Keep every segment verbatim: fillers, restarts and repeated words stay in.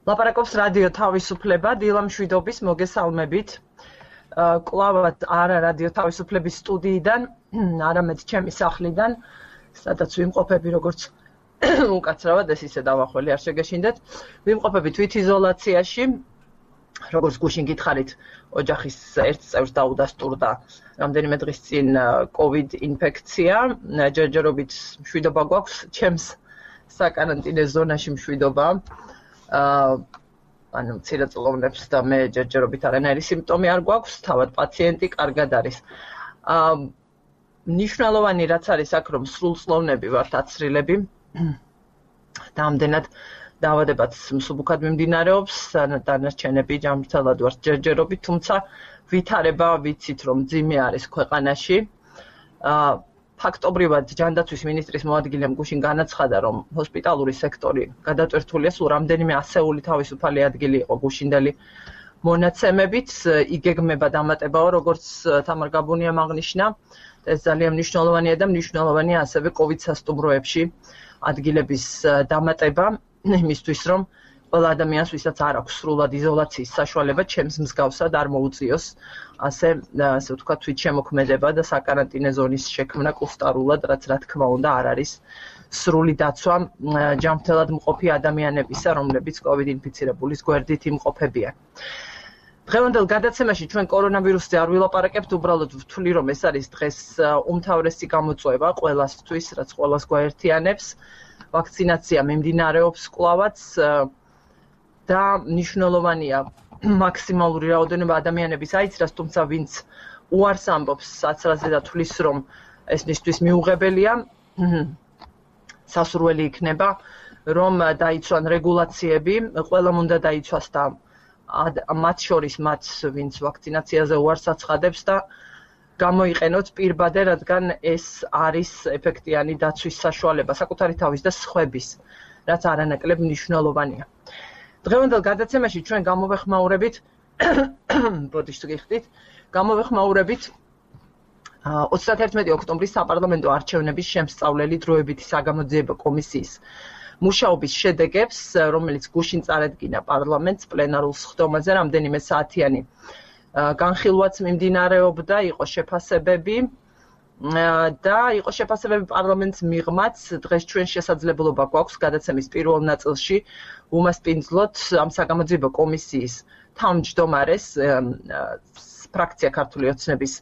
ლაპარაკობს რადიო თავისუფლება, დილა მშვიდობის მოგესალმებით. კლავად არა რადიო თავისუფლების სტუდიიდან, არამედ ჩემი სახლიდან, სადაც ვიმყოფები როგორც უკაცრავად, ეს ისე დავახველი არ შეგეშინდეთ. ვიმყოფები თვითიზოლაციაში, როგორც გუშინ გითხარით, ოჯახის ერთ წევრს დაუდასტურდა რამდენიმე დღის წინ COVID ინფექცია, ჯერჯერობით მშვიდობა გვაქვს, ჩემს საკარანტინე ზონაში მშვიდობა. ანუ მცირეწლოვნებს და მე ჯერჯერობით არანაირი სიმპტომი არ გვაქვს, თავად პაციენტი კარგად არის. მნიშვნელოვანი რაც არის აქ, რომ სრულწლოვნები ვართ აცრილები და ამდენად დაავადებაც მსუბუქად მიმდინარეობს, დანარჩენები ჯანმრთელად ვართ ჯერჯერობით, თუმცა ვითარება ვიცით, რომ მძიმე არის ქვეყანაში. ფაქტობრივად ჯანდაცვის მინისტრის მოადგილემ გუშინ განაცხადა, რომ ჰოსპიტალური სექტორი გადატვირთულია, სულ რამდენიმე ასეული თავისუფალი ადგილი იყო გუშინდელი მონაცემებით, იგეგმება დამატებაო, როგორც თამარ გაბუნიამ აღნიშნა, ეს ძალიან მნიშვნელოვანია და მნიშვნელოვანია ასევე COVID სასტუმროებში ადგილების დამატება, იმისთვის, რომ ყველა ადამიანს, ვისაც არ აქვს სრულად იზოლაციის საშუალება, ჩემს მსგავსად არ მოუწიოს ასე, ასე ვთქვათ, თვითშემოქმედება და საკარანტინე ზონის შექმნა კუსტარულად, რაც რა თქმა უნდა არ არის სრული დაცვა ჯანმრთელად მყოფი ადამიანებისა, რომლებიც COVID ინფიცირებულის გვერდით იმყოფებიან. დღევანდელ გადაცემაში ჩვენ კორონავირუსზე არ ვილაპარაკებთ, უბრალოდ ვთვლი, რომ ეს არის დღეს უმთავრესი გამოწვევა ყველასთვის, რაც ყველას გვაერთიანებს. ვაქცინაცია მიმდინარეობს კვლავაც და მნიშვნელოვანია მაქსიმალური რაოდენობა ადამიანების აიცრას, თუმცა ვინც უარს ამბობს საცრაზე და თვლის, რომ ეს მისთვის მიუღებელია, სასურველი იქნება, რომ დაიცვან რეგულაციები, ყველამ უნდა დაიცვას და მათ შორის მათ, ვინც ვაქცინაციაზე უარს აცხადებს და გამოიყენოთ პირბადე, რადგან ეს არის ეფექტიანი დაცვის საშუალება საკუთარი თავის და სხვების, რაც არანაკლებ მნიშვნელოვანია. დღევანდელ გადაცემაში ჩვენ გამოვეხმაურებით, ბოდიშ თუ გიხდით, გამოვეხმაურებით ოცდაათერთმეტი ოქტომბრის საპარლამენტო არჩევნების შემსწავლელი დროებითი საგამოძიებო კომისიის მუშაობის შედეგებს, რომელიც გუშინ წარადგინა პარლამენტს პლენარულ სხდომაზე რამდენიმე საათიანი განხილვაც მიმდინარეობდა, იყო შეფასებები და იყო შეფასებები პარლამენტს მიღმაც, დღეს ჩვენ შესაძლებლობა გვაქვს გადაცემის პირველ ნაწილში უმასპინძლოთ ამ საგამოძიებო კომისიის თავმჯდომარეს ფრაქცია ქართული ოცნების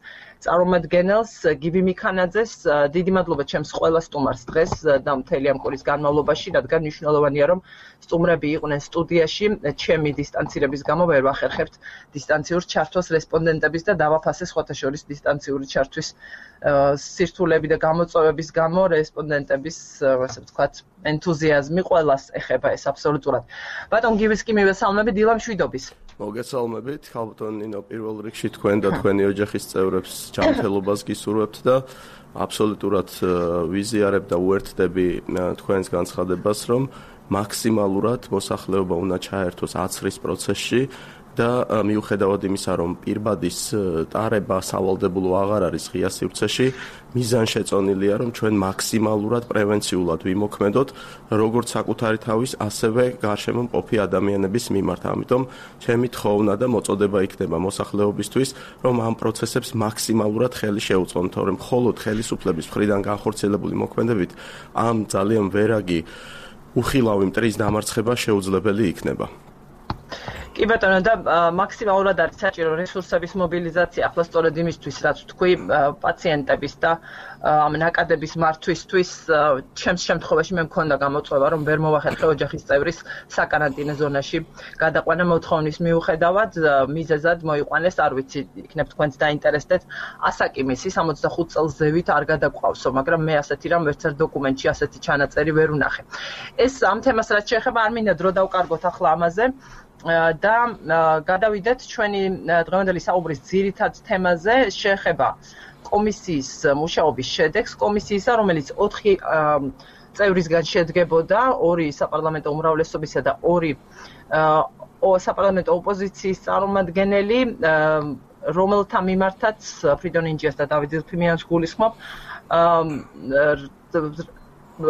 წარმომადგენელს გივი მიქანაძეს. დიდი მადლობა ჩემს ყველა სტუმარს დღეს და მთელი ამ კვირის განმავლობაში, რადგან მნიშვნელოვანია, რომ სტუმრები იყვნენ სტუდიაში, ჩემი დისტანცირების გამო ვერ ვახერხებთ დისტანციურ ჩართვას რესპონდენტების და დავაფასე სხვათა შორის დისტანციური ჩართვის სირთულეები და გამოწვევების გამო რესპონდენტების, ასე ვთქვათ, ენთუზიაზმი ყველას ეხება ეს აბსოლუტურად. ბატონ გივის კი მივესალმები, დილა მშვიდობის. მოგესალმებით, ხალბატონ ნინო, პირველ რიგში თქვენ და თქვენი ოჯახის წევრებს ჯანმრთელობას გისურვებთ და აბსოლუტურად ვიზიარებ და უერთდები თქვენს განცხადებას, რომ მაქსიმალურად მოსახლეობა უნდა ჩაერთოს აცრის პროცესში და მიუხედავად იმისა, რომ პირბადის ტარება სავალდებულო აღარ არის ღია სივრცეში, მიზანშეწონილია, რომ ჩვენ მაქსიმალურად პრევენციულად ვიმოქმედოთ, როგორც საკუთარი თავის, ასევე გარშემო მყოფი ადამიანების მიმართ. ამიტომ ჩემი თხოვნა და მოწოდება იქნება მოსახლეობისთვის, რომ ამ პროცესებს მაქსიმალურად ხელი შეუწყონ, თორემ მხოლოდ ხელისუფლების მხრიდან განხორციელებული მოქმედებით ამ ძალიან ვერაგი უხილავი მტრის დამარცხება შეუძლებელი იქნება. კი ბატონო, და მაქსიმალურად არის საჭირო რესურსების მობილიზაცია, ახლა სწორედ იმისთვის, რაც თქვი, პაციენტების და ამ ნაკადების მართვისთვის, ჩემს შემთხვევაში მე მქონდა გამოწვევა, რომ ვერ მოვახერხე ოჯახის წევრის საკარანტინე ზონაში გადაყვანა მოთხოვნის მიუხედავად, მიზეზად მოიყვანეს, არ ვიცი, იქნებ თქვენც დაინტერესდეთ, ასაკიმისი სამოცდახუთ წელს ზევით არ გადაგვყავსო, მაგრამ მე ასეთი რამ ვერც ერთ დოკუმენტში ასეთი ჩანაწერი ვერ ვნახე. ეს ამ თემას რაც შეეხება, არ მინდა დრო დავკარგოთ ახლა ამაზე. და გადავიდეთ ჩვენი დღევანდელი საუბრის ძირითად თემაზე, შეეხება კომისიის მუშაობის შედეგს, კომისიისა, რომელიც ოთხი წევრისგან შედგებოდა, ორი საპარლამენტო უმრავლესობისა და ორი საპარლამენტო ოპოზიციის წარმომადგენელი, რომელთა მიმართაც ფრიდონ ინჯიას და დავით ზილფიმიანს გულისხმობ,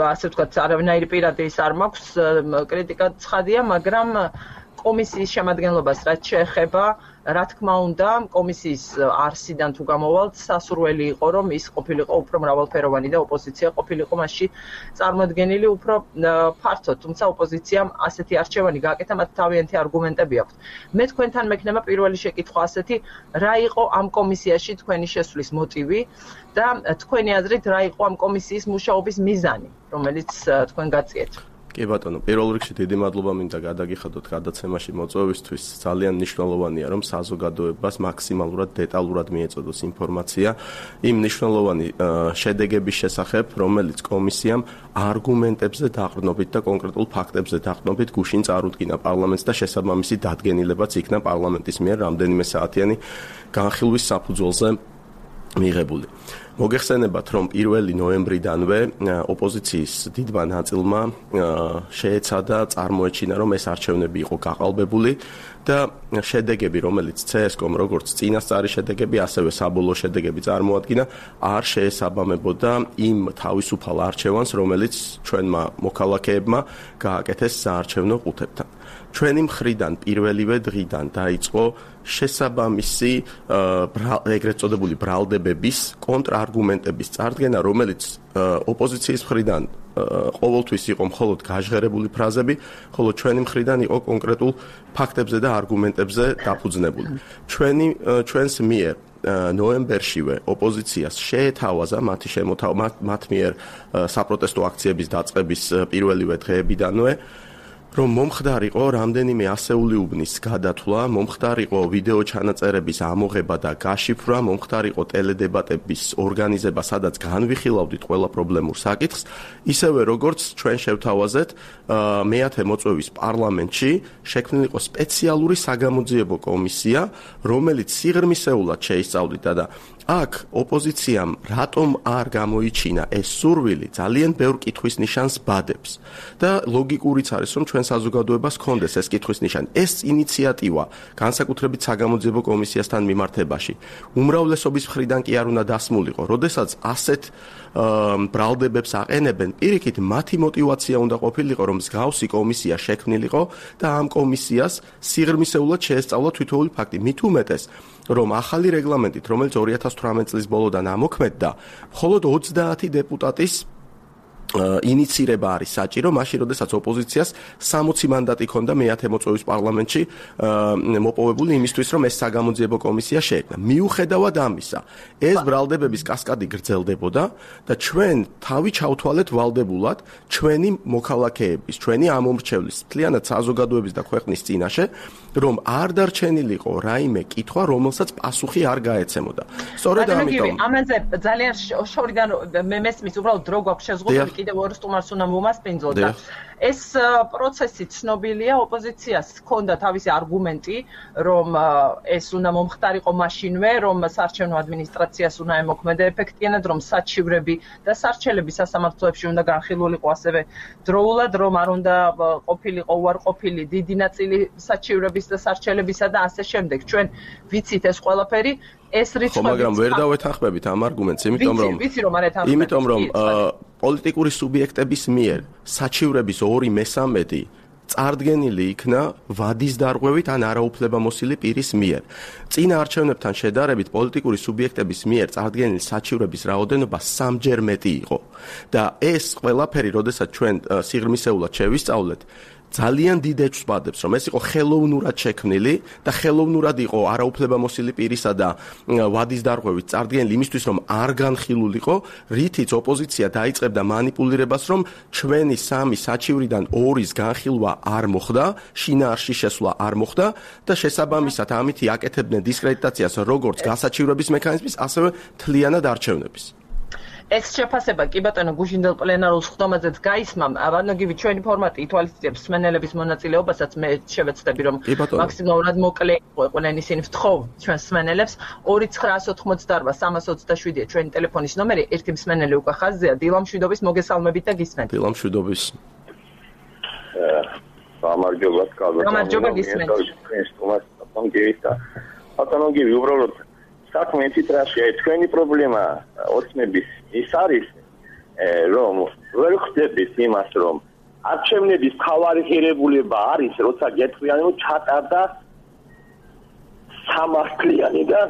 ასე ვთქვათ, არავინაირი პირადი ის არ მაქვს, კრიტიკა ცხადია, მაგრამ კომისიის შემადგენლობას რაც შეეხება, რა თქმა უნდა, კომისიის არსიდან თუ გამოვალთ, სასურველი იყო, რომ ის ყოფილიყო უფრო მრავალფეროვანი და ოპოზიცია ყოფილიყო მასში წარმოდგენილი უფრო ფართოდ, თუმცა ოპოზიციამ ასეთი არჩევანი გააკეთა, მათ თავიანთი არგუმენტები აქვთ. მე თქვენთან მექნება პირველი შეკითხვა ასეთი, რა იყო ამ კომისიაში თქვენი შესვლის მოტივი და თქვენი აზრით რა იყო ამ კომისიის მუშაობის მიზანი, რომელიც თქვენ გაწიეთ? კი ბატონო, პირველ რიგში დიდი მადლობა მინდა გადაგიხადოთ გადაცემაში მოწვევისთვის. ძალიან მნიშვნელოვანია, რომ საზოგადოებას მაქსიმალურად დეტალურად მიეწოდოს ინფორმაცია იმ მნიშვნელოვანი შედეგების შესახებ, რომელიც კომისიამ არგუმენტებზე დაყრდნობით და კონკრეტულ ფაქტებზე დაყრდნობით გუშინ წარუდგინა პარლამენტს და შესაბამისი დადგენილებაც იქნა პარლამენტის მიერ რამდენიმე საათიანი განხილვის საფუძველზე მიღებული. მოგეხსენებათ, რომ პირველი ნოემბრიდანვე ოპოზიციის დიდმა ნაწილმა შეეცადა წარმოეჩინა, რომ ეს არჩევნები იყო გაყალბებული და შედეგები, რომელიც ცე-ეს-კომ როგორც წინასწარი შედეგები, ასევე საბოლოო შედეგები წარმოადგინა, არ შეესაბამებოდა იმ თავისუფალ არჩევანს, რომელიც ჩვენმა მოქალაქეებმა გააკეთეს საარჩევნო ყუთებთან. ჩვენი მხრიდან პირველივე დღიდან დაიწყო შესაბამისი ეგრეთ წოდებული ბრალდებების კონტრარგუმენტების წარდგენა, რომელიც ოპოზიციის მხრიდან ყოველთვის იყო მხოლოდ გაჟღერებული ფრაზები, ხოლო ჩვენი მხრიდან იყო კონკრეტულ ფაქტებზე და არგუმენტებზე დაფუძნებული. ჩვენი ჩვენს მიერ ნოემბერშივე ოპოზიციას შეეთავაზა მათი შემოთავაზება მათ მიერ საპროტესტო აქციების დაწყების პირველივე დღეებიდანვე, რომ მომხდარიყო რამდენიმე ასეული უბნის გადათვლა, მომხდარიყო ვიდეო ჩანაწერების ამოღება და გაშიფრვა, მომხდარიყო ტელედებატების ორგანიზება, სადაც განვიხილავდით ყველა პრობლემურ საკითხს, ისევე როგორც ჩვენ შევთავაზეთ მეათე მოწვევის პარლამენტში შექმნილიყო სპეციალური საგამოძიებო კომისია, რომელიც სიღრმისეულად შეისწავლიდა და აქ ოპოზიციამ რატომ არ გამოიჩინა ეს სურვილი ძალიან ბევრ კითხვის ნიშანს ბადებს და ლოგიკურიც არის, რომ ჩვენ საზოგადოებას ჰქონდეს ეს კითხვის ნიშანი. ეს ინიციატივა განსაკუთრებით საგამოძიებო კომისიასთან მიმართებაში უმრავლესობის მხრიდან კი არ უნდა დასმულიყო. როდესაც ასეთ ბრალდებებს აყენებენ, პირიქით მათი мотиваცია უნდა ყოფილიყო, რომ მსგავსი კომისია შექმნილიყო და ამ კომისიას სიღრმისეულად შეესწავლა თითოეული ფაქტი. მით უმეტეს, რომ ახალი რეგლამენტით, რომელიც ორი ათას თვრამეტი წლის ბოლოდან ამოქმედდა, მხოლოდ ოცდაათი დეპუტატის ინიცირება არის საჭირო, მაშინ როდესაც ოპოზიციას სამოცი მანდატი ჰქონდა მეათე მოწვევის პარლამენტში მოპოვებული იმისთვის, რომ ეს საგამოძიებო კომისია შეექმნა. მიუხედავად ამისა, ეს ბრალდებების კასკადი გრძელდებოდა და ჩვენ თავი ჩავთვალეთ ვალდებულად ჩვენი მოქალაქეების, ჩვენი ამომრჩევლის, მთლიანად საზოგადოების და ქვეყნის წინაშე, რომ არ დარჩენილიყო რაიმე კითხვა, რომელსაც პასუხი არ გაეცემოდა. სწორედ ამიტომ ამაზე ძალიან შორიდან მე მესმის, უბრალოდ დრო გვაქვს შეზღუდული, კიდევ ორ სტუმარს უნდა მომასპინძლოთ და ეს პროცესი ცნობილია, ოპოზიციას ჰქონდა თავისი არგუმენტი, რომ ეს უნდა მომხდარიყო მაშინვე, რომ საარჩევნო ადმინისტრაციას უნდა ემოქმედა ეფექტიანად, რომ საჩივრები და სარჩელები სასამართლოებში უნდა განხილულიყო ასევე დროულად, რომ არ უნდა ყოფილიყო უარყოფილი დიდი ნაწილი საჩივრების და სარჩელებისა და ასე შემდეგ. ჩვენ ვიცით ეს ყველაფერი, ეს რიცხვები. მაგრამ ვერ დავეთანხმებით ამ არგუმენტს, იმიტომ რომ ვიცი რომ არ ეთანხმებით. იმიტომ რომ პოლიტიკური სუბიექტების მიერ საჩივრების ორი მესამედი წარდგენილი იქნა ვადის დარღვევით ან არაუფლებამოსილი პირის მიერ. წინა არჩევნებთან შედარებით პოლიტიკური სუბიექტების მიერ წარდგენილი საჩივრების რაოდენობა სამჯერ მეტი იყო და ეს ყველაფერი, როდესაც ჩვენ სიღრმისეულად შევისწავლეთ, ძალიან დიდ ეჭვს ბადებს, რომ ეს იყო ხელოვნურად შექმნილი და ხელოვნურად იყო არაუფლებამოსილი პირისა და ვადის დარღვევით წარდგენილი იმისთვის, რომ არ განხილულიყო, რითიც ოპოზიცია დაიწყებდა манипуლირებას, რომ ჩვენი სამი საჩივრიდან ორის განხილვა არ მოხდა, შინაარსში შესვლა არ მოხდა და შესაბამისად ამითი აკეთებდნენ დისკრედიტაციას როგორც გასაჩივრების მექანიზმის, ასევე მთლიანად არჩევნების. ეს შეფასება კი ბატონო გუშინდელ პლენარულ სხდომაზეც გაისმა, ვანოგივი ჩვენი ფორმატი ითვალისწინებს მსმენელების მონაწილეობასაც, მე შევეცდები რომ მაქსიმალურად მოკლე იყო ყველანი ისინი ვთხოვ ჩვენს მსმენელებს. ორი ცხრაას ოთხმოცდაარბა სამას ოცდაშვიდია ჩვენი ტელეფონის ნომერი, ერთი მსმენელი უკვე ხაზზეა, დილამშვიდობის მოგესალმებით და გისმენთ. დილამშვიდობის. გამარჯობა, კალბატონო. გამარჯობა, გისმენთ. ბატონოგივი, უბრალოდ საქმე თითრაშია, თქვენი პრობლემა ოცნების ის არის, რომ ვერ ხდებით იმას, რომ არჩევნების მთავარი ღირებულება არის, როცა გეტყვიან, რომ ჩატარდა სამართლიანი და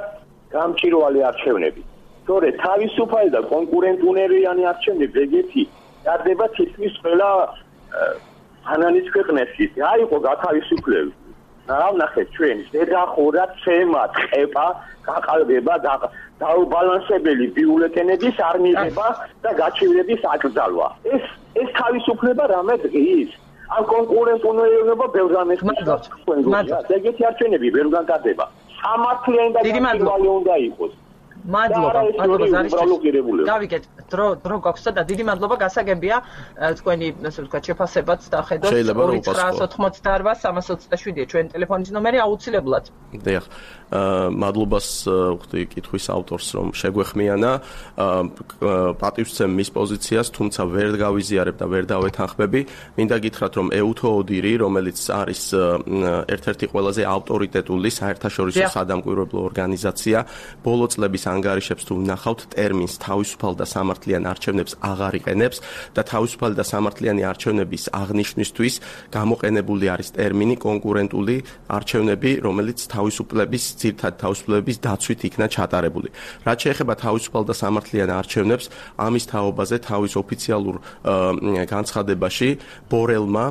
გამჭირვალე არჩევნები. სწორედ თავისუფალი და კონკურენტუნარიანი არჩევნები ეგეთი დარდება თითქმის ყველა ანალის ქვეყნებში. არ იყო გათავისუფლებული. რა ვნახეთ ჩვენ, ზედახურა, ცემა, ყეპა, გაყალბება და დაუბალანსებელი ბიულეტენების არ მიღება და გაჩივრების აკრძალვა. ეს ეს თავისუფლება რამე დღის? ამ კონკურენტუნარიანობა ბევრ რამეს ხმარობს. ეგეთი არჩევნები ვერ განკარდება. სამართლიანი და გამჭირვალე უნდა იყოს. მადლობა, მადლობა ზარიშვილს. გავიგეთ, დრო დრო გვაქვს და დიდი მადლობა გასაგებია თქვენი, ასე ვთქვათ, შეფასებაც დახედოთ ორი ცხრაას ოთხმოცდაარბა სამას ოცდაშვიდია ჩვენ ტელეფონის ნომერი აუცილებლად. დიახ. მადლობას ვხდი კითხვის ავტორს რომ შეგვეხმიანა, პატივსცემ მის პოზიციას, თუმცა ვერ გავიზიარებ და ვერ დავეთანხმები. მინდა გითხრათ რომ ეუთო ოდირი, რომელიც არის ერთ-ერთი ყველაზე ავტორიტეტული საერთაშორისო სადამკვირვებლო ორგანიზაცია, ბოლო წლების ანგარიშებს თუ ვნახავთ, ტერმინს თავისუფალ და სამართლიან არჩევნებს აღარ იყენებს და თავისუფალი და სამართლიანი არჩევნების აღნიშვნისთვის გამოყენებული არის ტერმინი კონკურენტული არჩევნები, რომელიც თავისუფლების ძირითადად თავისუფლების დაცვით იქნა ჩატარებული. რაც შეეხება თავისუფალ და სამართლიან არჩევნებს, ამის თაობაზე თავის ოფიციალურ განცხადებაში ბორელმა,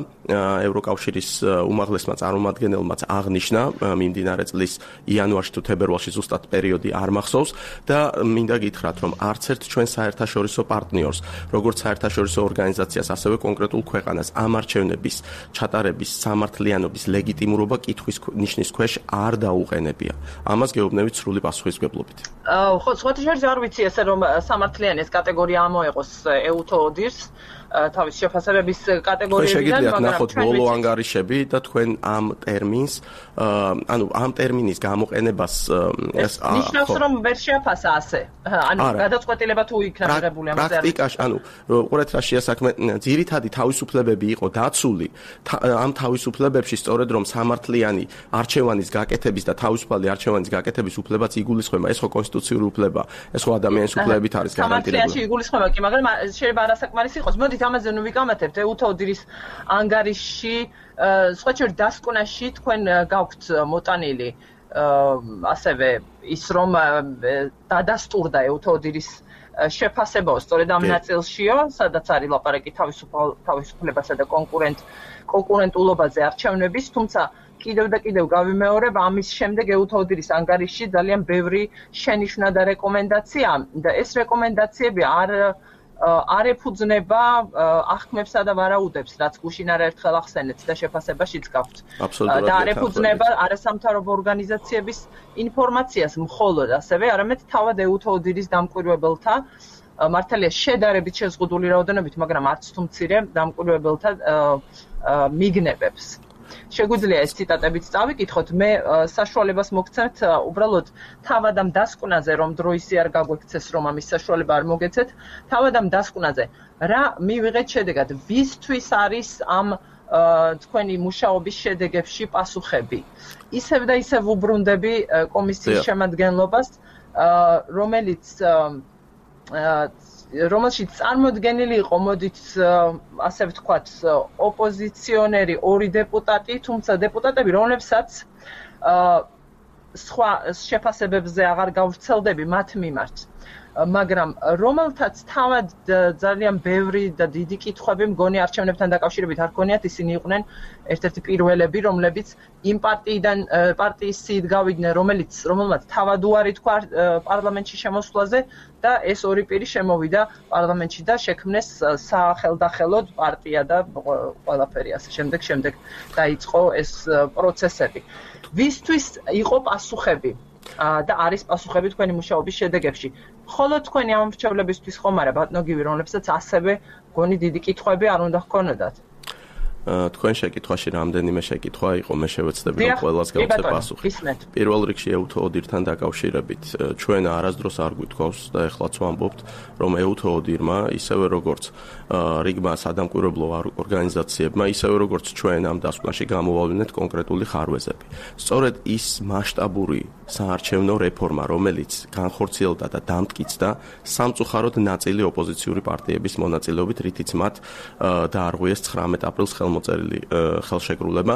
ევროკავშირის უმაღლესმა წარმომადგენელმაც აღნიშნა მიმდინარე წლის იანვარში თუ თებერვალში ზუსტად პერიოდი არ მახსოვს და მინდა გითხრათ, რომ არც ერთ ჩვენ საერთაშორისო პარტნიორს, როგორც საერთაშორისო ორგანიზაციას, ასევე კონკრეტულ ქვეყანას ამ არჩევნების ჩატარების სამართლიანობის ლეგიტიმურობა კითხვის ნიშნის ქვეშ არ დაუყენებია. ამას გეუბნებით სრული პასუხისმგებლობით. ხო, სხვათა შორის არ ვიცი ესე რომ სამართლიანი ეს კატეგორია ამოეყოს ეუთო ოდირს თავის შეფასებების კატეგორიებიდან, მაგრამ ნახოთ ბოლო ანგარიშები და თქვენ ამ ტერმინს, ანუ ამ ტერმინის გამოყენებას ეს ნიშნავს რომ ვერ შეაფასა ასე. ანუ გადაწყვეტილება თუ იქნა მიღებული ამაზე. პრაქტიკაში, ანუ უყურეთ რა შეასაქმე, ძირითადი თავისუფლებები იყო დაცული ამ თავისუფლებებში სწორედ რომ სამართლიანი არჩევანის გაკეთების და თავისუფალი არჩევანის გაკეთების უფლებაც იგულისხმება. ეს ხო კონსტიტუციური უფლება, ეს ხო ადამიანის უფლებებით არის გარანტირებული. სამართლიაში იგულისხმება კი, მაგრამ შეიძლება არასაკმარისი იყოს. მოდით ამაზე ნუ ვიკამათებთ ეუთო ოდირის ანგარიში, სხვა შორის დასკვნაში თქვენ გაქვთ მოტანილი ასევე ის რომ დადასტურდა ეუთო ოდირის შეფასებაო სწორედ ამ ნაწილშიო, სადაც არის ლაპარაკი თავისუფლებასა და კონკურენტ კონკურენტულობაზე არჩევნების, თუმცა კიდევ და კიდევ გავიმეორებ, ამის შემდეგ ეუთო ოდირის ანგარიში ძალიან ბევრი შენიშვნა და რეკომენდაცია და ეს რეკომენდაციები არ არ ეფუძნება ახმებსა და ვარაუდებს, რაც გუშინ არაერთხელ ახსენეთ და შეფასებაშიც გაქვთ. და არ ეფუძნება არასამთავრობო ორგანიზაციების ინფორმაციას მხოლოდ ასევე, არამედ თავად ეუთო ოდირის დამკვირვებელთა, მართალია შედარებით შეზღუდული რაოდენობით, მაგრამ არც თუ მცირე დამკვირვებელთა მიგნებებს. შეგვიძლია ეს ციტატებიც წავიკითხოთ, მე საშუალებას მოგცემთ უბრალოდ თავად ამ დასკვნაზე, რომ დრო ისე არ გაგვექცეს, რომ ამის საშუალება არ მოგეცეთ, თავად ამ დასკვნაზე რა მივიღეთ შედეგად, ვისთვის არის ამ თქვენი მუშაობის შედეგებში პასუხები. ისევ და ისევ უბრუნდები კომისიის შემადგენლობას, რომელიც რომელშიც წარმოდგენილი იყო, მოდით ასე ვთქვათ, ოპოზიციონერი ორი დეპუტატი, თუმცა დეპუტატები, რომლებსაც სხვა შეფასებებზე აღარ გავრცელდები მათ მიმართ. მაგრამ რომელთაც თავად ძალიან ბევრი და დიდი კითხვები მგონი არჩევნებთან დაკავშირებით არ ქონიათ, ისინი იყვნენ ერთ-ერთი პირველები, რომლებიც იმ პარტიიდან პარტიის სიით გავიდნენ, რომელიც რომელმაც თავად უარი თქვა პარლამენტში შემოსვლაზე და ეს ორი პირი შემოვიდა პარლამენტში და შექმნეს სახელდახელოდ პარტია და ყველაფერი ასე შემდეგ შემდეგ დაიწყო ეს პროცესები. ვისთვის იყო პასუხები და არის პასუხები თქვენი მუშაობის შედეგებში. ხოლო თქვენი ამ მრჩევლებისთვის ხომ არა ბატონო გივი, რომლებსაც ასევე გონი დიდი კითხვები არ უნდა ჰქონოდათ. თქვენ შეკითხვაში რამდენიმე შეკითხვა იყო, მე შევეცდები რომ ყველას გავცე პასუხი. პირველ რიგში ეუთო ოდირთან დაკავშირებით ჩვენ არასდროს არ გვითხოვს და ეხლაც ვამბობთ, რომ ეუთო ოდირმა ისევე როგორც რიგმა სადამკვირვებლო ორგანიზაციებმა, ისევე როგორც ჩვენ ამ დასკვნაში გამოვავლინეთ კონკრეტული ხარვეზები. სწორედ ის მასშტაბური საარჩევნო რეფორმა, რომელიც განხორციელდა და დამტკიცდა სამწუხაროდ ნაწილი ოპოზიციური პარტიების მონაწილეობით, რითიც მათ დაარღვიეს ცხრამეტ აპრილს ხელმოწერილი ხელშეკრულება,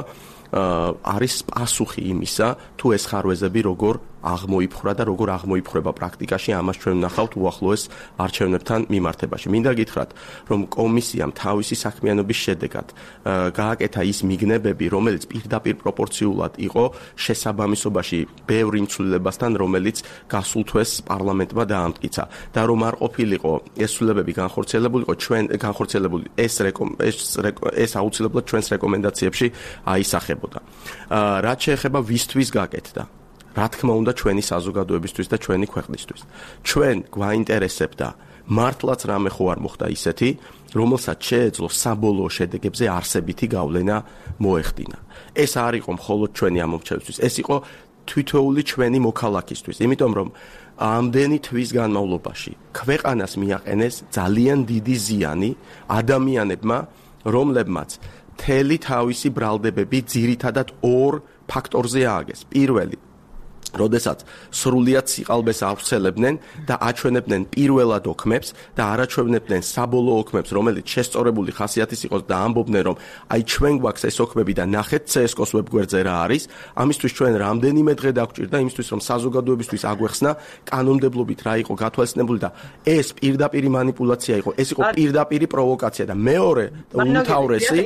არის პასუხი იმისა, თუ ეს ხარვეზები როგორ აღმოიფხვრა და როგორ აღმოიფხვრება პრაქტიკაში, ამას ჩვენ ვნახავთ უახლოეს არჩევნებთან მიმართებაში. მინდა გითხრათ, რომ კომისიამ თავისი საქმიანობის შედეგად გააკეთა ის მიგნებები, რომელიც პირდაპირ პროპორციულად იყო შესაბამისობაში ბევრ იმ ცვლილებასთან, რომელიც გასულ თვეს პარლამენტმა დაამტკიცა და რომ არ ყოფილიყო ეს ცვლილებები განხორციელებულიყო ჩვენ განხორციელებული ეს ეს ეს აუცილებლად ჩვენს რეკომენდაციებში აისახებოდა. რაც შეეხება ვისთვის გაკეთდა, რა თქმა უნდა ჩვენი საზოგადოებისთვის და ჩვენი ქვეყნისთვის. ჩვენ გვაინტერესებდა მართლაც რამე ხო არ მოხდა ისეთი, რომელსაც შეეძლო საბოლოო შედეგებზე არსებითი გავლენა მოეხდინა. ეს არ იყო მხოლოდ ჩვენი ამომრჩევლისთვის, ეს იყო თითოეული ჩვენი მოქალაქისთვის, იმიტომ რომ ამდენი თვის განმავლობაში ქვეყანას მიაყენეს ძალიან დიდი ზიანი ადამიანებმა, რომლებმაც მთელი თავისი ბრალდებები ძირითადად ორ ფაქტორზე ააგეს. პირველი, როდესაც სრულიად სიყალბეს ავრცელებდნენ და აჩვენებდნენ პირველად ოქმებს და არაჩვენებდნენ საბოლოო ოქმებს, რომელიც შესწორებული ხასიათის იყოს და ამბობდნენ, რომ აი ჩვენ გვაქვს ეს ოქმები და ნახეთ ცსკოს ვებგვერდზე რა არის, ამისთვის ჩვენ რამდენიმე დღე დაგვჭირდა იმისთვის, რომ საზოგადოებისთვის აგვეხსნა კანონმდებლობით რა იყო გათვალისწინებული და ეს პირდაპირი მანიპულაცია იყო, ეს იყო პირდაპირი პროვოკაცია და მეორე და უმთავრესი,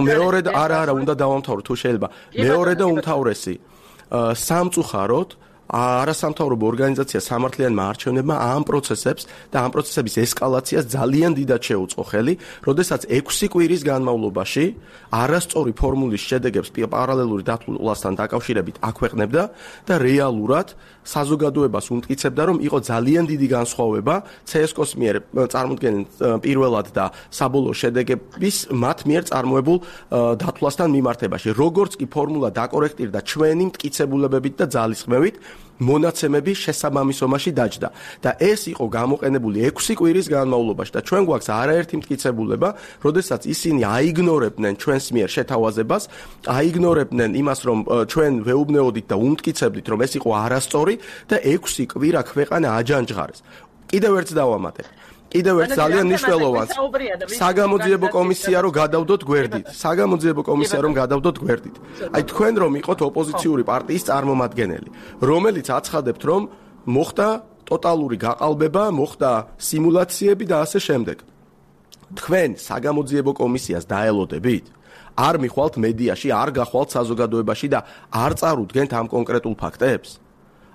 მეორე და არა არა უნდა დავამთავრო თუ შეიძლება, მეორე და უმთავრესი სამწუხაროდ არასამთავრობო ორგანიზაცია სამართლიანმა არჩევნებმა ამ პროცესებს და ამ პროცესების ესკალაციას ძალიან დიდად შეუწყო ხელი, როდესაც ექვსი კვირის განმავლობაში არასწორი ფორმულის შედეგებს პარალელური დათვლასთან დაკავშირებით აქვეყნებდა და რეალურად საზოგადოებას უმტკიცებდა, რომ იყო ძალიან დიდი განსხვავება ცსკოს მიერ წარმოქმნილ პირველად და საბოლოო შედეგების მათ მიერ წარმოებულ დათვლასთან მიმართებაში. როგორც კი ფორმულა დაკორექტირდა ჩვენი მტკიცებულებებით და ძალისხმევით, მონაცემები შესაბამისობაში დაჯდა და ეს იყო გამოყენებული ექვსი კვირის განმავლობაში და ჩვენ გვაქვს არაერთი მტკიცებულება, როდესაც ისინი აიგნორებდნენ ჩვენს მიერ შეთავაზებას, აიგნორებდნენ იმას, რომ ჩვენ ვეუბნეოდით და უმტკიცებდით, რომ ეს იყო არასწორი და ექვსი კვირა ქვეყანა აჯანჯღარეს. კიდევ ერთს დავამატებ. კიდევ ერთ ძალიან მნიშვნელოვანს საგამოძიებო კომისია რომ გადავდოთ გვერდით. საგამოძიებო კომისია რომ გადავდოთ გვერდით. აი თქვენ რომ იყოთ ოპოზიციური პარტიის წარმომადგენელი, რომელიც აცხადებთ, რომ მოხდა ტოტალური გაყალბება, მოხდა სიმულაციები და ასე შემდეგ. თქვენ საგამოძიებო კომისიას დაელოდებით? არ მიხვალთ მედიაში, არ გახვალთ საზოგადოებაში და არ წარუდგენთ ამ კონკრეტულ ფაქტებს?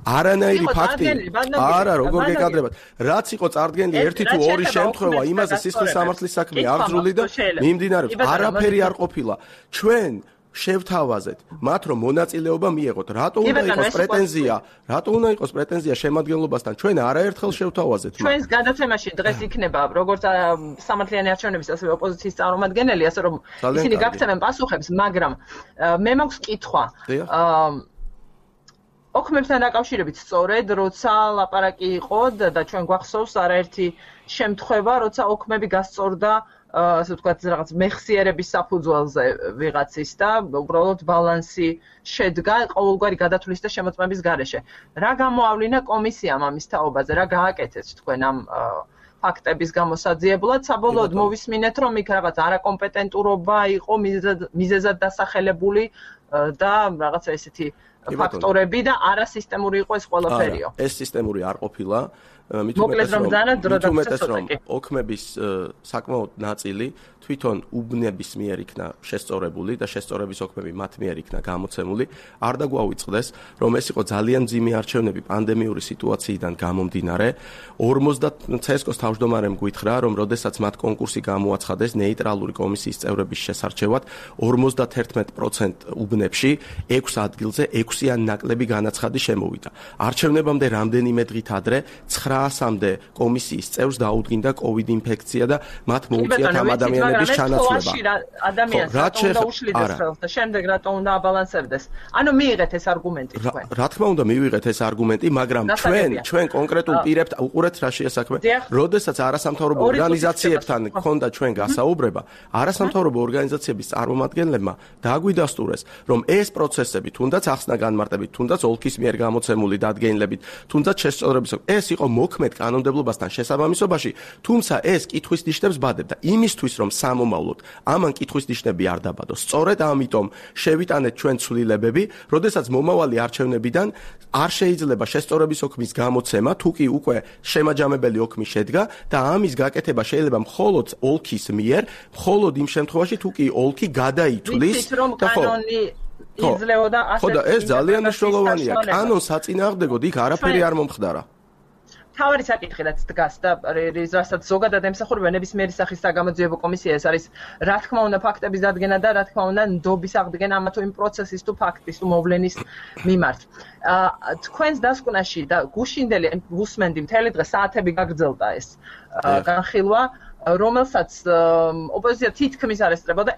არანაირი ფაქტი არა როგორ გეკადრებათ, რაც იყო წარდგენილი ერთი თუ ორი შემთხვევა, იმაზე სისხლის სამართლის საქმე აღძრული და მიმდინარეობს, არაფერი არ ყოფილა. ჩვენ შევთავაზეთ მათ, რომ მონაწილეობა მიეღოთ. რატო უნდა იყოს პრეტენზია? რატო უნდა იყოს პრეტენზია შემადგენლობასთან? ჩვენ არაერთხელ შევთავაზეთ. ჩვენს გადაცემაში დღეს იქნება როგორც სამართლიანი არჩევნების, ასევე ოპოზიციის წარმომადგენელი, ასე რომ ისინი გაგცემენ პასუხებს, მაგრამ მე მაქვს კითხვა. ოქმებთან დაკავშირებით სწორედ, როცა ლაპარაკი იყო და ჩვენ გვახსოვს არაერთი შემთხვევა, როცა ოქმები გასწორდა, ასე ვთქვათ, რაღაც მეხსიერების საფუძველზე ვიღაცის და უბრალოდ ბალანსი შედგა ყოველგვარი გადათვლის და შემოწმების გარეშე. რა გამოავლინა კომისიამ ამის თაობაზე, რა გააკეთეთ თქვენ ამ ფაქტების გამოსაძიებლად, საბოლოოდ მოვისმინეთ, რომ იქ რაღაც არაკომპეტენტურობა იყო მიზეზად დასახელებული და რაღაცა ესეთი ფაქტორები და არასისტემური იყო ეს ყველაფერიო. ეს სისტემური არ ყოფილა. მოკლედ რომ ძალიან დრო დაგვეცეს ოქმების საკმაოდ ნაწილი თვითონ უბნების მიერ იქნა შესწორებული და შესწორების ოქმები მათ მიერ იქნა გამოცემული. არ დაგვაუწყდეს, რომ ეს იყო ძალიან მძიმე არჩევნები პანდემიური სიტუაციიდან გამომდინარე. ორმოცდაათ ცსკოს თავმჯდომარემ გითხრა, რომ როდესაც მათ კონკურსი გამოაცხადეს ნეიტრალური კომისიის წევრების შესარჩევად, ორმოცდაათერთმეტ პროცენტ უბნებში ექვს ადგილზე ექვს ექვსი ან ნაკლები განაცხადი შემოვიდა. არჩევნებამდე რამდენიმე დღით ადრე ცხრაასამდე კომისიის წევრს დაუდგინდა COVID ინფექცია და მათ მოუწიათ ამ ადამიანების ჩანაცვლება. ადამიანს რატომ უნდა უშლიდეს ხელს და შემდეგ რატომ უნდა აბალანსებდეს? ანუ მიიღეთ ეს არგუმენტი თქვენ. რა თქმა უნდა მივიღეთ ეს არგუმენტი, მაგრამ ჩვენ ჩვენ კონკრეტულ პირებთ უყურეთ რა შეასაქმე. როდესაც არასამთავრობო ორგანიზაციებთან გქონდა ჩვენ გასაუბრება, არასამთავრობო ორგანიზაციების წარმომადგენლებმა დააგვიდასტურეს, რომ ეს პროცესები თუნდაც ახსნა განმარტებით, თუნდაც ოლქის მიერ გამოცემული დადგენილებით, თუნდაც შესწორების ეს იყო მოქმედ კანონმდებლობასთან შესაბამისობაში, თუმცა ეს კითხვის ნიშნებს ბადებდა იმისთვის, რომ სამომავლოდ ამან კითხვის ნიშნები არ დაბადოს. სწორედ ამიტომ შევიტანეთ ჩვენ ცვლილებები, როდესაც მომავალი არჩევნებიდან არ შეიძლება შესწორების ოქმის გამოცემა, თუ კი უკვე შემაჯამებელი ოქმი შედგა და ამის გაკეთება შეიძლება მხოლოდ ოლქის მიერ, მხოლოდ იმ შემთხვევაში, თუ კი ოლქი გადაითვლის და ხო იძლეოდა ასე. ხო და ეს ძალიან მნიშვნელოვანია. კანონს საწინააღმდეგოდ იქ არაფერი არ მომხდარა. თავარი საკითხი რაც დგას და რასაც ზოგადად ემსახურება ნებისმიერი სახის საგამოძიებო კომისია ეს არის რა თქმა უნდა ფაქტების დადგენა და რა თქმა უნდა ნდობის აღდგენა ამა თუ იმ პროცესის თუ ფაქტის თუ მოვლენის მიმართ. თქვენს დასკვნაში და გუშინდელი უსმენდი მთელი დღე საათები გაგრძელდა ეს განხილვა, რომელსაც ოპოზიცია თითქმის არ ესწრებოდა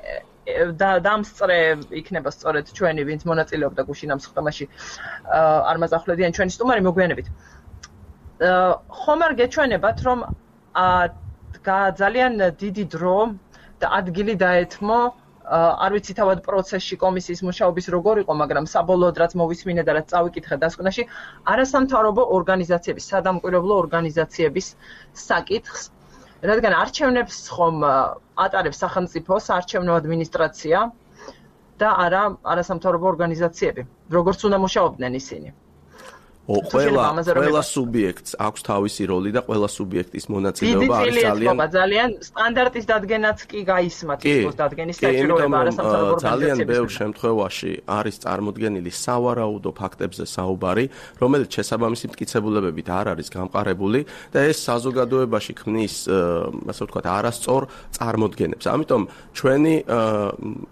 და დამსწრე იქნება სწორედ ჩვენი ვინც მონაწილეობდა გუშინ ამ სხდომაში არ მაწახვლედიან ჩვენი სტუმარი მოგვიანებით. ხომ არ გეჩვენებათ, რომ ძალიან დიდი დრო და ადგილი დაეთმო, არ ვიცი თავად პროცესში კომისიის მუშაობის როგორ იყო, მაგრამ საბოლოოდ რაც მოვისმინე და რაც წავიკითხე დასკვნაში, არასამთავრობო ორგანიზაციების, სადამკვირვებლო ორგანიზაციების საკითხს, რადგან არჩევნებს ხომ ატარებს სახელმწიფო საარჩევნო ადმინისტრაცია და არა არასამთავრობო ორგანიზაციები, როგორც უნდა მუშაობდნენ ისინი. ყველა ყველა სუბიექტს აქვს თავისი როლი და ყველა სუბიექტის მონაწილეობა არის ძალიან ძალიან სტანდარტის დადგენაც კი გაისმა თვითონ დადგენის საჭიროება არასამთავრობო ორგანიზაციების. ძალიან ბევრ შემთხვევაში არის წარმოდგენილი სავარაუდო ფაქტებზე საუბარი, რომელიც შესაბამისი მტკიცებულებებით არ არის გამყარებული და ეს საზოგადოებაში ქმნის, ასე ვთქვათ, არასწორ წარმოდგენებს. ამიტომ ჩვენი,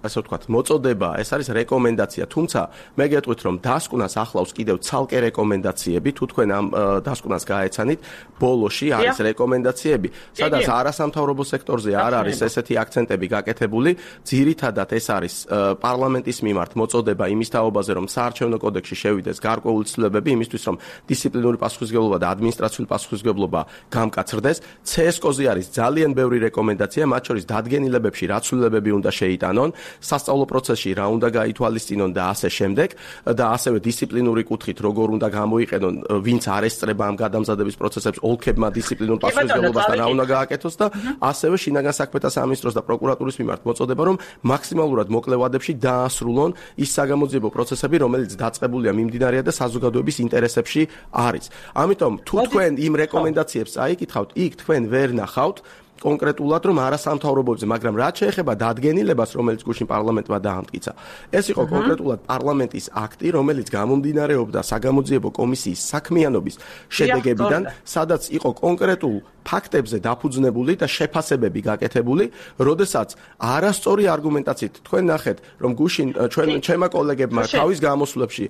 ასე ვთქვათ, მოწოდება, ეს არის რეკომენდაცია, თუმცა მე გეტყვით, რომ დასკვნას ახლავს კიდევ ცალკე რეკომენდაცია თუ თქვენ ამ დასკვნას გაეცანით, ბოლოში არის რეკომენდაციები, სადაც არასამთავრობო სექტორზე არ არის ესეთი აქცენტები გაკეთებული, ძირითადად ეს არის პარლამენტის მიმართ მოწოდება იმის თაობაზე, რომ საარჩევნო კოდექსში შევიდეს გარკვეული ცვლილებები იმისთვის, რომ დისციპლინური პასუხისმგებლობა და ადმინისტრაციული პასუხისმგებლობა გამკაცრდეს. ცესკოზე არის ძალიან ბევრი რეკომენდაცია, მათ შორის დადგენილებებში რა ცვლილებები უნდა შეიტანონ, სასწავლო პროცესში რა უნდა გაითვალისწინონ და ასე შემდეგ და ასევე დისციპლინური კუთხით როგორ უნდა მოიყენონ ვინც არ ესწრება ამ გადამზადების პროცესებს ოლქებმა დისციპლინურ პასუხისმგებლობასთან რა უნდა გააკეთოს და ასევე შინაგან საქმეთა სამინისტროს და პროკურატურის მიმართ მოწოდება რომ მაქსიმალურად მოკლე ვადებში დაასრულონ ის საგამოძიებო პროცესები რომელიც დაწყებულია მიმდინარეა და საზოგადოების ინტერესებში არის. ამიტომ თუ თქვენ იმ რეკომენდაციებს წაიკითხავთ, იქ თქვენ ვერ ნახავთ კონკრეტულად რომ არასამთავრობოებზე, მაგრამ რაც შეეხება დადგენილებას, რომელიც გუშინ პარლამენტმა დაამტკიცა, ეს იყო კონკრეტულად პარლამენტის აქტი, რომელიც გამომდინარეობდა საგამოძიებო კომისიის საქმიანობის შედეგებიდან, სადაც იყო კონკრეტულ ფაქტებზე დაფუძნებული და შეფასებები გაკეთებული, როდესაც არასწორი არგუმენტაციით თქვენ ნახეთ, რომ გუშინ ჩვენ ჩემმა კოლეგებმა თავის გამოსვლებში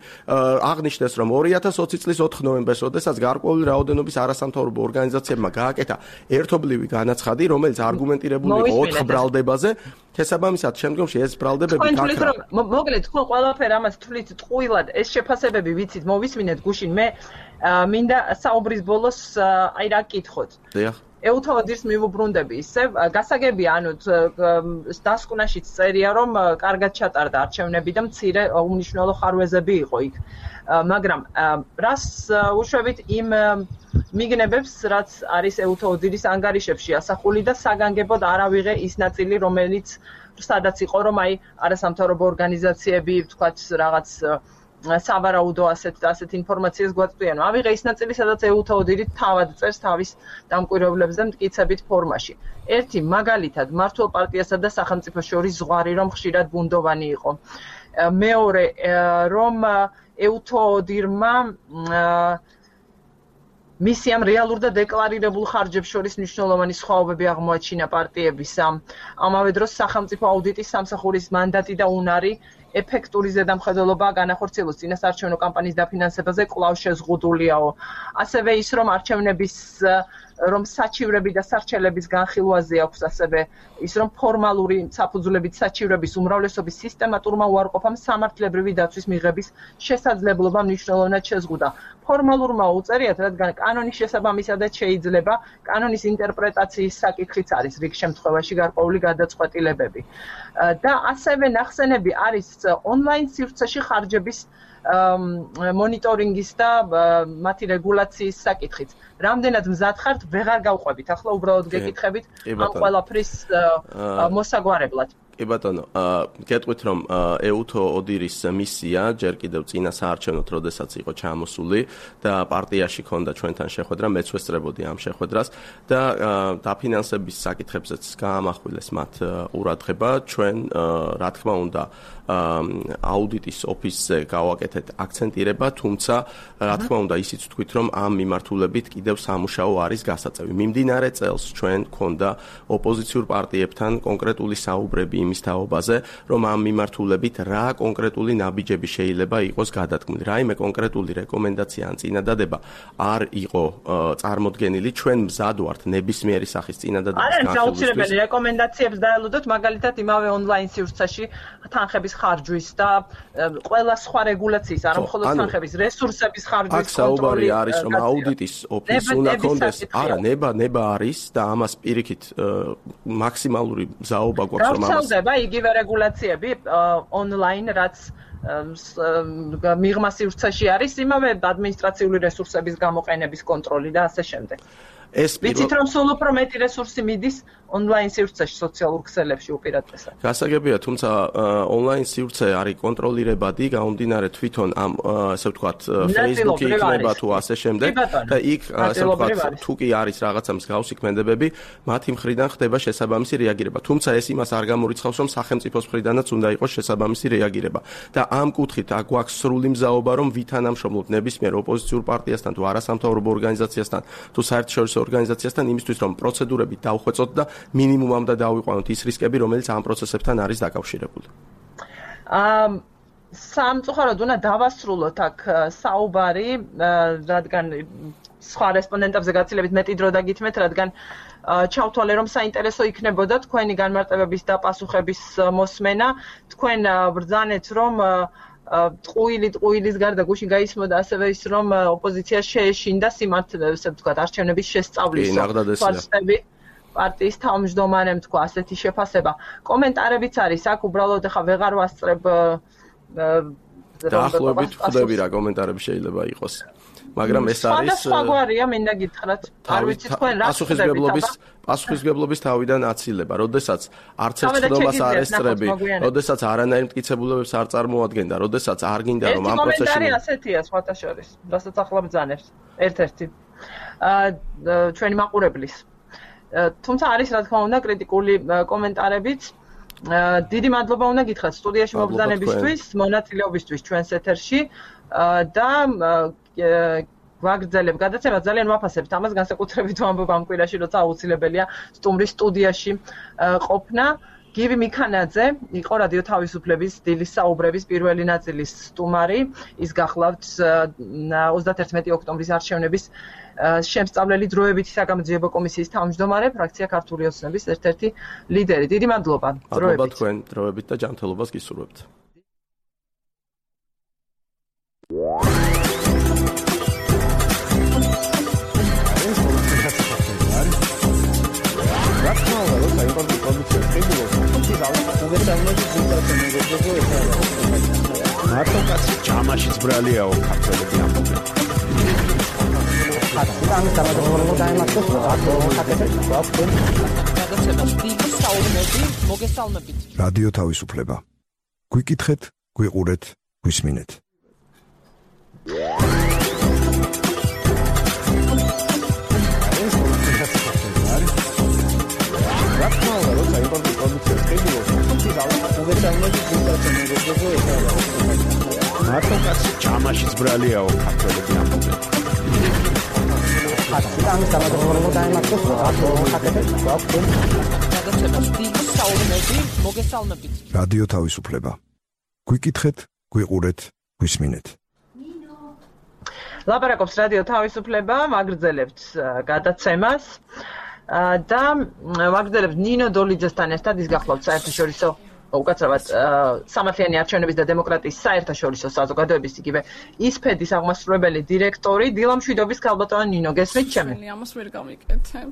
აღნიშნეს, რომ ორი ათას ოცი წლის ოთხ ნოემბერს, როდესაც გარკვეული რაოდენობის არასამთავრობო ორგანიზაციებმა გააკეთა ერთობლივი განაცხადი, რომელიც არგუმენტირებული იყო ოთხ ბრალდებაზე, შესაბამისად შემდგომში ეს ბრალდებები გაქრა. მოკლედ თქვენ ყველაფერი ამას თვლით ტყუილად, ეს შეფასებები ვიცით, მოვისმინეთ გუშინ, მე მინდა საუბრის ბოლოს აი რა გკითხოთ. დიახ. ეუთოდის მივუბრუნდები ისე, გასაგებია, ანუ დასკვნაშიც წერია, რომ კარგად ჩატარდა არჩევნები და მცირე უმნიშვნელო ხარვეზები იყო იქ. მაგრამ რას უშვებით იმ მიგნებებს, რაც არის ეუთოდის ანგარიშებში ასახული და საგანგებოდ არ ავიღე ის ნაწილი, რომელიც სადაც იყო, რომ აი არასამთავრობო ორგანიზაციები, ვთქვათ, რაღაც სავარაუდო ასეთ ასეთ ინფორმაციას გვაწვდიან. ავიღე ის ნაწილი, სადაც ეუთოდი თავად წერს თავის დამკვირვებლებზე მტკიცებით ფორმაში. ერთი მაგალითად, მართლ პარტიასა და სახელმწიფოს შორის ზღვარი რომ ხშირად ბუნდოვანი იყო. მეორე, რომ ეუთოდირმა მისიამ რეალურ და დეკლარირებულ ხარჯებს შორის მნიშვნელოვანი სხვაობები აღმოაჩინა პარტიებისა. ამავე დროს სახელმწიფო აუდიტის სამსახურის მანდატი და უნარი ეფექტური ზედამხედველობა განახორციელოს წინასაარჩევნო კამპანიის დაფინანსებაზე კვლავ შეზღუდულიაო. ასევე ის, რომ არჩევნების რომ საჩივრები და სარჩელების განხილვაზე აქვს ასევე ის, რომ ფორმალური საფუძვლებით საჩივრების უმრავლესობის სისტემატურმა უარყოფამ სამართლებრივი დაცვის მიღების შესაძლებლობა მნიშვნელოვნად შეზღუდა. ფორმალურმა უწერიათ, რადგან კანონის შესაბამისადაც შეიძლება კანონის ინტერპრეტაციის საკითხიც არის რიგ შემთხვევაში გარკვეული გადაწყვეტილებები. და ასევე ნახსენები არის ონლაინ სივრცეში ხარჯების მონიტორინგის და მათი რეგულაციის საკითხიც. რამდენად მზად ხართ, ვეღარ გავყვებით. ახლა უბრალოდ გეკითხებით ამ ყველაფრის მოსაგვარებლად. კი ბატონო, გეტყვით რომ ეუთო ოდირის მისია ჯერ კიდევ წინა საარჩევნოთ, როდესაც იყო ჩამოსული და პარტიაში ქონდა ჩვენთან შეხვედრა, მეც ვესწრებოდი ამ შეხვედრას და დაფინანსების საკითხებზეც გაამახვილეს მათ ყურადღება. ჩვენ რა თქმა უნდა აუდიტის ოფისზე გავაკეთეთ აქცენტირება, თუმცა რა თქმა უნდა ისიც ვთქვით, რომ ამ მიმართულებით კიდევ სამუშაო არის გასაწევი. მიმდინარე წელს ჩვენ ქონდა ოპოზიციურ პარტიებთან კონკრეტული საუბრები იმის თაობაზე, რომ ამ მიმართულებით რა კონკრეტული ნაბიჯები შეიძლება იყოს გადადგმული. რაიმე კონკრეტული რეკომენდაცია ან წინადადება არ იყო წარმოდგენილი. ჩვენ მზად ვართ ნებისმიერი სახის წინადადების განხილვისთვის. არა, აუცილებელი რეკომენდაციებს დაელოდოთ, მაგალითად იმავე ონლაინ სივრცეში თანხების ხარჯვის და ყველა სხვა რეგულაციის, არა მხოლოდ თანხების, რესურსების ხარჯვის კონტროლი. აქ საუბარი არის, რომ აუდიტის ოფისი უნდა კონდეს, არა, ნება ნება არის და ამას პირიქით მაქსიმალური მზაობა გვაქვს, რომ ამას ხდება იგივე რეგულაციები ონლაინ, რაც მიღმა სივრცეში არის, იმავე ადმინისტრაციული რესურსების გამოყენების კონტროლი და ასე შემდეგ. ეს ვიცით რომ სულ უფრო მეტი რესურსი მიდის ონლაინ სივრცეში, სოციალურ ქსელებში უპირატესად. გასაგებია, თუმცა ონლაინ სივრცე არის კონტროლირებადი, გამომდინარე თვითონ ამ ასე ვთქვათ Facebook-ი იქნება თუ ასე შემდეგ და იქ ასე ვთქვათ თუ კი არის რაღაცა მსგავსი ქმედებები, მათი მხრიდან ხდება შესაბამისი რეაგირება. თუმცა ეს იმას არ გამორიცხავს, რომ სახელმწიფოს მხრიდანაც უნდა იყოს შესაბამისი რეაგირება. და ამ კუთხით აქ გვაქვს სრული მზაობა, რომ ვითანამშრომლობთ ნებისმიერ ოპოზიციურ პარტიასთან თუ არასამთავრობო ორგანიზაციასთან თუ საერთაშორისო ორგანიზაციასთან იმისთვის, რომ პროცედურები დავხვეწოთ და მინიმუმამდე დავიყვანოთ ის რისკები, რომელიც ამ პროცესებთან არის დაკავშირებული. აა სამწუხაროდ უნდა დავასრულოთ აქ საუბარი, რადგან სხვა რესპონდენტებზე გაცილებით მეტი დრო დაგითმეთ, რადგან ჩავთვალე, რომ საინტერესო იქნებოდა თქვენი განმარტებების და პასუხების მოსმენა. თქვენ ბრძანეთ, რომ ტყუილი ტყუილის გარდა გუშინ გაისმოდა ასევე ის, რომ ოპოზიცია შეეშინდა სიმართლე, ასე ვთქვათ, არჩევნების შესწავლის ფარსები. პარტიის თავმჯდომარემ თქვა ასეთი შეფასება. კომენტარებიც არის აქ, უბრალოდ ახლა ვეღარ ვასწრებ დაახლოებით ხვდები რა კომენტარები შეიძლება იყოს. მაგრამ ეს არის სხვაგვარია, მინდა გითხრათ. არ ვიცი თქვენ რა პასუხისმგებლობის პასუხისმგებლობის თავიდან აცილება, როდესაც არც ერთ ხდომას არ ესწრები, როდესაც არანაირ მტკიცებულებებს არ წარმოადგენდა, როდესაც არ გინდა რომ ამ პროცესში კომენტარი ასეთია სხვათა შორის, რასაც ახლა ბძანებს. ერთ-ერთი აა ჩვენი მაყურებლის. თუმცა არის რა თქმა უნდა კრიტიკული კომენტარებიც. დიდი მადლობა უნდა გითხრათ სტუდიაში მობრძანებისთვის, მონაწილეობისთვის ჩვენს ეთერში და ვაგრძელებ გადაცემა, ძალიან ვაფასებთ ამას, განსაკუთრებით ვამბობ ამ კვირაში, როცა აუცილებელია სტუმრის სტუდიაში ყოფნა. გივი მიქანაძე იყო რადიო თავისუფლების დილის საუბრების პირველი ნაწილის სტუმარი. ის გახლავთ ოცდაერთი ოქტომბრის არჩევნების შემსწავლელი დროებითი საგამოძიებო კომისიის თავმჯდომარე, ფრაქცია ქართული ოცნების ერთ-ერთი ლიდერი. დიდი მადლობა. მადლობა თქვენ დროებით და ჯანმრთელობას გისურვებთ. მარტო კაცი ჯამაშიც ბრალიაო ქართველები ამბობენ. ამ გამოგონებულ დაემართოს რადიო თავისუფლება. გვიკითხეთ, გვიყურეთ, გვისმინეთ. მარტო კაცი ჯამაშიც ბრალიაო ქართველები ამბობენ. ამ გამოგონებულ დაემართოს რადიო თავისუფლება. გვიკითხეთ, გვიყურეთ, გვისმინეთ. ლაპარაკობს რადიო თავისუფლება, მაგრძელებთ გადაცემას და მაგრძელებთ ნინო დოლიძესთან ერთად ის გახლავთ საერთაშორისო უკაცრავად სამართლიანი არჩევნების და დემოკრატიის საერთაშორისო საზოგადოების იგივე ისფედის აღმასრულებელი დირექტორი დილა მშვიდობის ქალბატონი ნინო, გესმით ჩემი? ამას ვერ გავიკეთებ.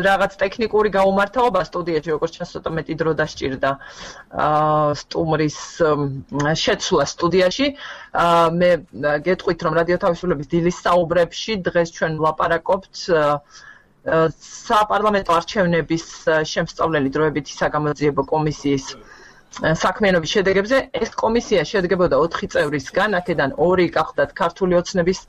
რაღაც ტექნიკური გაუმართლობა სტუდიაში, როგორც ჩანს, ცოტა მეტი დრო დასჭირდა სტუმრის შეცვლა სტუდიაში. მე გეტყვით, რომ რადიო თავისუფლების დილის საუბრებში დღეს ჩვენ ვლაპარაკობთ საპარლამენტო არჩევნების შემსწავლელი დროებითი საგამოძიებო კომისიის საქმიანობის შედეგებზე. ეს კომისია შედგებოდა ოთხი წევრისგან, აქედან ორი გახდათ ქართული ოცნების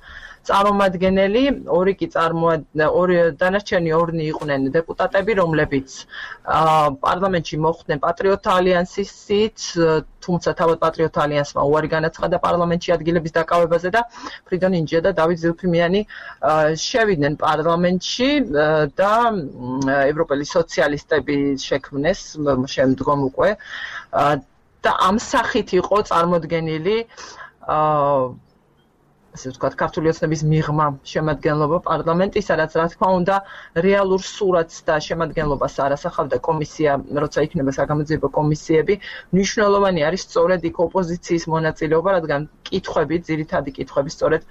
წარმომადგენელი, ორი კი ორი დანარჩენი ორნი იყვნენ დეპუტატები, რომლებიც პარლამენტში მოხვდნენ პატრიოტთა ალიანსის სით, თუმცა თავად პატრიოტთა ალიანსმა უარი განაცხადა პარლამენტში ადგილების დაკავებაზე და ფრიდონ ინჯია და დავით ზილფიმიანი შევიდნენ პარლამენტში და ევროპელი სოციალისტები შექმნეს შემდგომ უკვე და ამ სახით იყო წარმოდგენილი ასე ვთქვათ, ქართული ოცნების მიღმა შემადგენლობა პარლამენტის, სადაც რა თქმა უნდა რეალურ სურათს და შემადგენლობას არ ასახავდა კომისია, როცა იქნება საგამოძიებო კომისიები. მნიშვნელოვანი არის სწორედ იქ ოპოზიციის მონაწილეობა, რადგან კითხვები, ძირითადი კითხვები სწორედ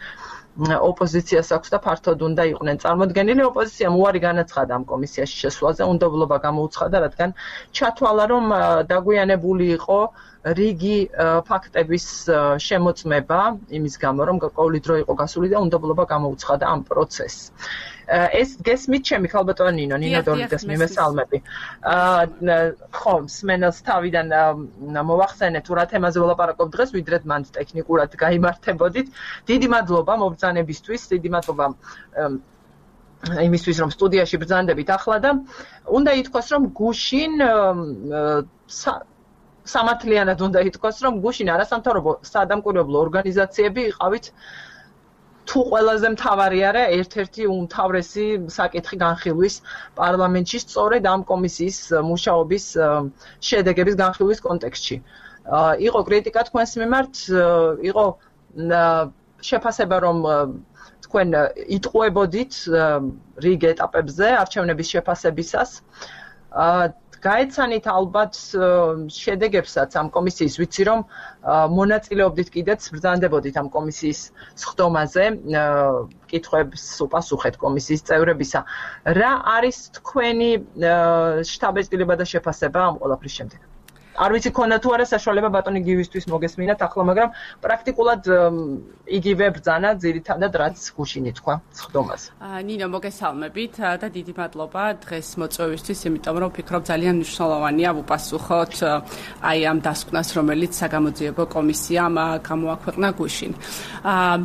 ოპოზიციას აქვს და ფართოდ უნდა იყვნენ წარმოდგენილი. ოპოზიციამ უარი განაცხადა ამ კომისიაში შესვლაზე, უნდობლობა გამოუცხადა, რადგან ჩათვალა, რომ დაგვიანებული იყო რიგი ფაქტების შემოწმება იმის გამო, რომ ყოველი დრო იყო გასული და უნდობლობა გამოუცხადა ამ პროცესს. ეს გესმით ჩემი ქალბატონი ნინო, ნინო დოლიძეს მიმესალმები. ხო, სმენელს თავიდან მოვახსენეთ, თუ რა თემაზე ვლაპარაკობ დღეს, ვიდრე მანდ ტექნიკურად გაიმართებოდით. დიდი მადლობა მობრძანებისთვის, დიდი მადლობა იმისთვის, რომ სტუდიაში ბრძანდებით ახლა და უნდა ითქვას, რომ გუშინ სამართლიანად უნდა ითქვას, რომ გუშინ არასამთავრობო საადამკვირვებლო ორგანიზაციები იყავით თუ ყველაზე მთავარი არა, ერთ-ერთი უმთავრესი საკითხი განხილვის პარლამენტში სწორედ ამ კომისიის მუშაობის შედეგების განხილვის კონტექსტში. იყო კრიტიკა თქვენს მიმართ, იყო შეფასება, რომ თქვენ იტყუებოდით რიგ ეტაპებზე არჩევნების შეფასებისას. გაეცანით ალბათ შედეგებსაც ამ კომისიის, ვიცი რომ მონაწილეობდით კიდეც ბრძანდებოდით ამ კომისიის სხდომაზე, კითხვებს უპასუხეთ კომისიის წევრებისა. რა არის თქვენი შთაბეჭდილება და შეფასება ამ ყველაფრის შემდეგ? არ ვიცი ქონდა თუ არა საშუალება ბატონი გივისთვის მოგესმინათ ახლა, მაგრამ პრაქტიკულად იგივე ბრძანა ძირითადად რაც გუშინ ითქვა სხდომაზე. ნინო, მოგესალმებით და დიდი მადლობა დღეს მოწვევისთვის, იმიტომ რომ ვფიქრობ ძალიან მნიშვნელოვანია ვუპასუხოთ აი ამ დასკვნას, რომელიც საგამოძიებო კომისიამ გამოაქვეყნა გუშინ.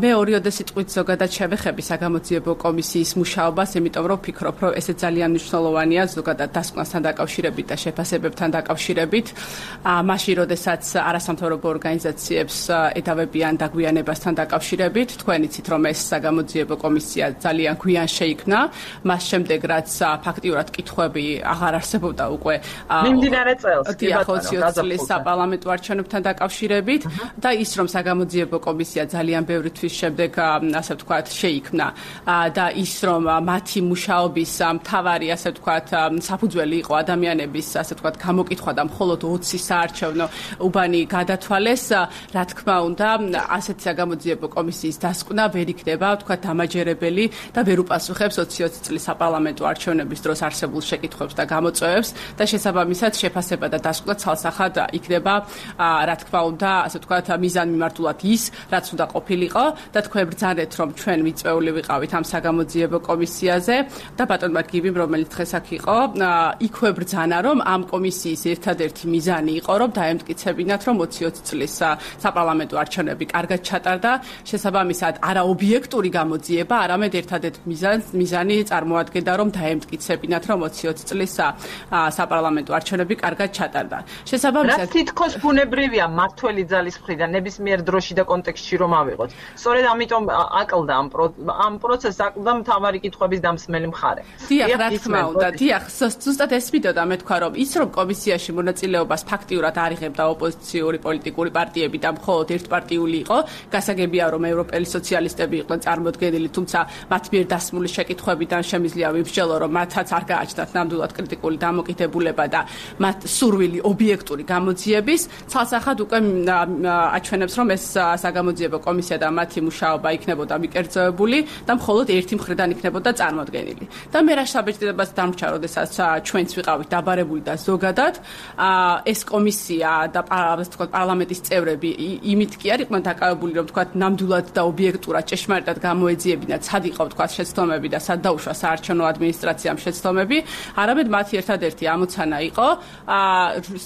მე ორიოდე სიტყვით ზოგადად შევეხები საგამოძიებო კომისიის მუშაობას, იმიტომ რომ ვფიქრობ, რომ ესე ძალიან მნიშვნელოვანია ზოგადად დასკვნასთან დაკავშირებით და შეფასებებთან დაკავშირებით. მაშინ, როდესაც არასამთავრობო ორგანიზაციებს ედავებიან დაგვიანებასთან დაკავშირებით, თქვენ იცით, რომ ეს საგამოძიებო კომისია ძალიან გვიან შეიქმნა, მას შემდეგ რაც ფაქტიურად კითხვები აღარ არსებობდა უკვე მიმდინარე წელს, ოცი წლის საპარლამენტო არჩევნებთან დაკავშირებით და ის, რომ საგამოძიებო კომისია ძალიან ბევრი თვის შემდეგ, ასე ვთქვათ, შეიქმნა და ის, რომ მათი მუშაობის მთავარი, ასე ვთქვათ, საფუძველი იყო ადამიანების, ასე ვთქვათ, გამოკითხვა და მხოლოდ ოცი საარჩევნო უბანი გადათვალეს, რა თქმა უნდა, ასეთი საგამოძიებო კომისიის დასკვნა ვერ იქნება, ვთქვათ, დამაჯერებელი და ვერ უპასუხებს ოცი წლის საპარლამენტო არჩევნების დროს არსებულ შეკითხვებს და გამოწვევებს და შესაბამისად შეფასება და დასკვნა ცალსახად იქნება, რა თქმა უნდა, ასე ვთქვათ, მიზანმიმართულად ის, რაც უნდა ყოფილიყო და თქვენ ბრძანეთ, რომ ჩვენ მიწვეული ვიყავით ამ საგამოძიებო კომისიაზე და ბატონმა გივიმ, რომელიც დღეს აქ იყო, იქვე ბრძანა, რომ ამ კომისიის ერთადერთი მიზანი მიზანი იყო, რომ დაემტკიცებინათ, რომ ოცი ოცი წლის საპარლამენტო არჩევნები კარგად ჩატარდა, შესაბამისად არაობიექტური გამოძიება, არამედ ერთადერთ მიზანი წარმოადგენდა, რომ დაემტკიცებინათ, რომ ოცი ოცი წლის საპარლამენტო არჩევნები კარგად ჩატარდა. შესაბამისად, რა თითქოს ბუნებრივია მართველი ძალის მხრიდან ნებისმიერ დროში და კონტექსტში რომ ავიღოთ. სწორედ ამიტომ აკლდა ამ ამ პროცესს აკლდა მთავარი კითხვების დამსმელი მხარე. დიახ, რა თქმა უნდა, დიახ, ზუსტად ეს მიდოდა მე თქვა, რომ ის რომ კომისიაში მონაწილეობას ფაქტიურად არ იღებდა ოპოზიციური პოლიტიკური პარტიები და მხოლოდ ერთპარტიული იყო, გასაგებია, რომ ევროპელი სოციალისტები იყვნენ წარმოდგენილი, თუმცა მათ მიერ დასმული შეკითხვებიდან შემიძლია ვიმსჯელო, რომ მათაც არ გააჩნდათ ნამდვილად კრიტიკული დამოკიდებულება და მათ სურვილი ობიექტური გამოძიების, ცალსახად უკვე აჩვენებს, რომ ეს საგამოძიებო კომისია და მათი მუშაობა იქნებოდა მიკერძოებული და მხოლოდ ერთი მხრიდან იქნებოდა წარმოდგენილი. და მე რა საბეჭდილებას დამრჩა, როდესაც ჩვენც ვიყავით დაბარებული და ზოგადად ეს კომისია და პარლამენტის წევრები იმით კი არ იყვნენ დაკავებული, რომ თქვა ნამდვილად და ობიექტურად ჭეშმარიტად გამოეძიებინათ, სად იყო თქვა შეცდომები და სად დაუშვა საარჩევნო ადმინისტრაციამ შეცდომები, არამედ მათი ერთადერთი ამოცანა იყო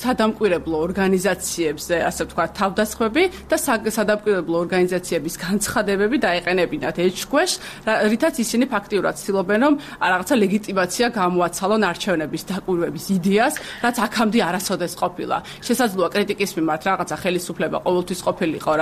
სადამკვირვებლო ორგანიზაციებზე, ასე ვთქვათ, თავდასხმები და სადამკვირვებლო ორგანიზაციების განცხადებები დაეყენებინათ ეჭქვეშ, რითაც ისინი ფაქტიურად ცდილობენ, რომ რაღაცა ლეგიტიმაცია გამოაცალონ არჩევნების დაკვირვების იდეას, რაც აქამდე არასოდეს ყოფილა. შესაძლოა კრიტიკის მიმართ რაღაცა ხელისუფლება ყოველთვის ყოფილიყო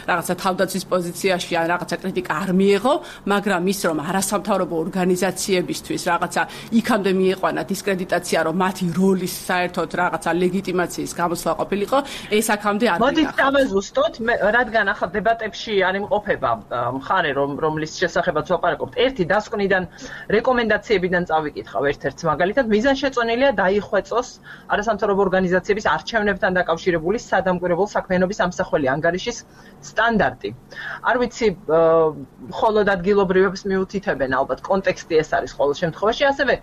რაღაცა თავდაცვის პოზიციაში ან რაღაცა კრიტიკა არ მიეღო, მაგრამ ის რომ არასამთავრობო ორგანიზაციებისთვის რაღაცა იქამდე მieყვანა დისკრედიტაცია, რომ მათი როლის საერთოდ რაღაცა ლეგიტიმაციის გამოსვლა ყოფილიყო, ეს აქამდე არ მოდით დავეზუსტოთ, რადგან ახლა დებატებში არ იმყოფება მხარე, რომ რომლის შესახებაც ვაპარაკობთ. ერთი დასკვნიდან რეკომენდაციებიდან წავიკითხავ ერთ-ერთ მაგალითად, მიზანშეწონილია დაიხვეწოს არასამთავრობო ორგანიზაციების არჩევნებთან დაკავშირებული სადამკვირვებლო საქმიანობის ამსახველი ანგარიშის სტანდარტი. არ ვიცი, მხოლოდ ადგილობრივებს მიუთითებენ, ალბათ კონტექსტი ეს არის ყოველ შემთხვევაში, ასევე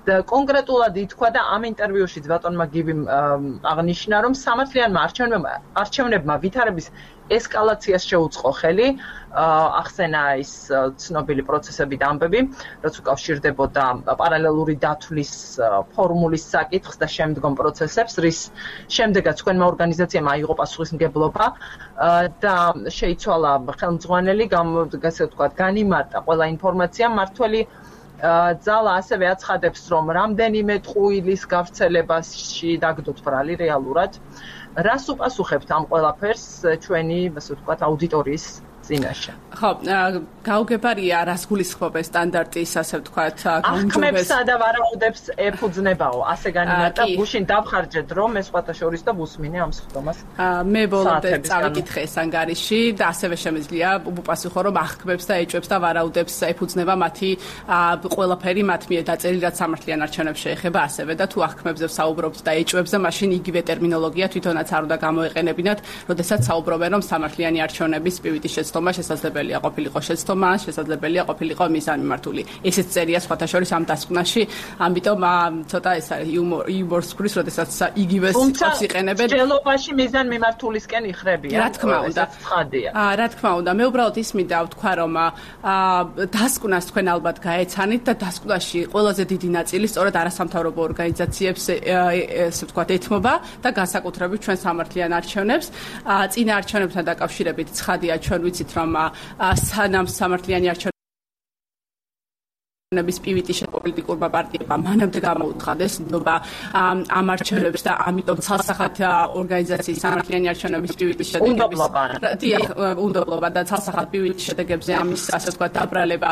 კონკრეტულად ითქვა და ამ ინტერვიუშიც ბატონმა გიბიმ აღნიშნა, რომ სამართლიანმა არჩევნებმა ვითარების ესკალაციას შეუწყო ხელი, ახსენა ის ცნობილი პროცესები და ამბები, რაც უკავშირდებოდა პარალელური დათვლის ფორმულის საკითხს და შემდგომ პროცესებს, რის შემდეგაც თქვენმა ორგანიზაციამ აიღო პასუხისმგებლობა და შეიცვალა ხელმძღვანელი, ასე ვთქვათ, განიმარტა ყველა ინფორმაცია. მართველი ძალა ასევე აცხადებს, რომ რამდენიმე ტყუილის გავრცელებაში დაგდოთ ბრალი რეალურად. რას უპასუხებთ ამ ყველაფერს ჩვენი, ასე ვთქვათ, აუდიტორიის წინაშე? ხო, გაუგებარია რას გულისხმობენ სტანდარტის, ასე ვთქვათ, განჯობეს. ახმებსა და ვარაუდებს ეფუძნებაო, ასე განიმარტა, გუშინ დავხარჯეთ რომ ეს სხვათა შორის და ვუსმინე ამ სხდომას. მე ბოლომდე წავიკითხე ეს ანგარიში და ასევე შემიძლია უპასუხო, რომ ახმებს და ეჭვებს და ვარაუდებს ეფუძნება მათი ყველაფერი მათ მიერ დაწერილი, რაც სამართლიან არჩევნებს შეეხება ასევე და თუ ახმებზე საუბრობთ და ეჭვებზე, მაშინ იგივე ტერმინოლოგია თვითონაც არ უნდა გამოეყენებინათ, როდესაც საუბრობენ, რომ სამართლიანი არჩევნების პივიტის შეცდომა შესაძლებელია ყოფილიყო შეცდომა, შესაძლებელია ყოფილიყო მიზანმიმართული. ესეც წერია სხვათა შორის ამ დასკვნაში, ამიტომ ცოტა ეს არის იუმორს გვრის, როდესაც იგივე სიტყვებს იყენებენ. ჯელობაში მიზანმიმართულისკენ იხრებიან. რა თქმა უნდა. აა, რა თქმა უნდა, მე უბრალოდ ის მინდა ვთქვა, რომ დასკვნას თქვენ ალბათ გაეცანით და დასკვნაში ყველაზე დიდი ნაწილი სწორედ არასამთავრობო ორგანიზაციებს, ესე ვთქვათ, ეთმობა და განსაკუთრებით ჩვენ სამართლიან არჩევნებს. წინა არჩევნებთან დაკავშირებით ცხადია, ჩვენ ვიცით, რომ სანამ სამართლიანი არჩევნები ნების პივიტის პოლიტიკურმა პარტიებმა მანამდე გამოუცხადეს ნდობა ამ არჩევნებს და ამიტომ ცალსახად ორგანიზაციის სამართლიანი არჩევნების პივიტის შედეგების უნდობლობა და ცალსახად პივიტის შედეგებზე ამის, ასე ვთქვათ, დაბრალება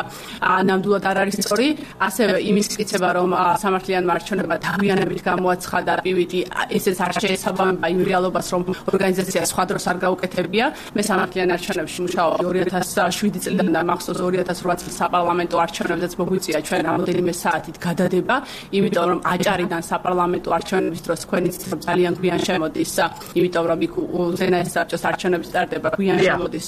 ნამდვილად არ არის სწორი. ასევე იმის მტკიცება, რომ სამართლიანმა არჩევნებმა დაგვიანებით გამოაცხადა პივიტი, ესეც არ შეესაბამება იმ რეალობას, რომ ორგანიზაცია სხვა დროს არ გაუკეთებია. მე სამართლიან არჩევნებში მუშაობ ორი ათას შვიდი წლიდან და მახსოვს ორი ათას ოთხ წლის საპარლამენტო არჩევნებზეც მოგვიწია ჩვენ რამოდენიმე საათით გადადება, იმიტომ რომ აჭარიდან საპარლამენტო არჩევნების დროს თქვენიც ძალიან გვიან შემოდის, იმიტომ რომ იქ უზენაეს საბჭოს არჩევნების სტარტება გვიან შემოდის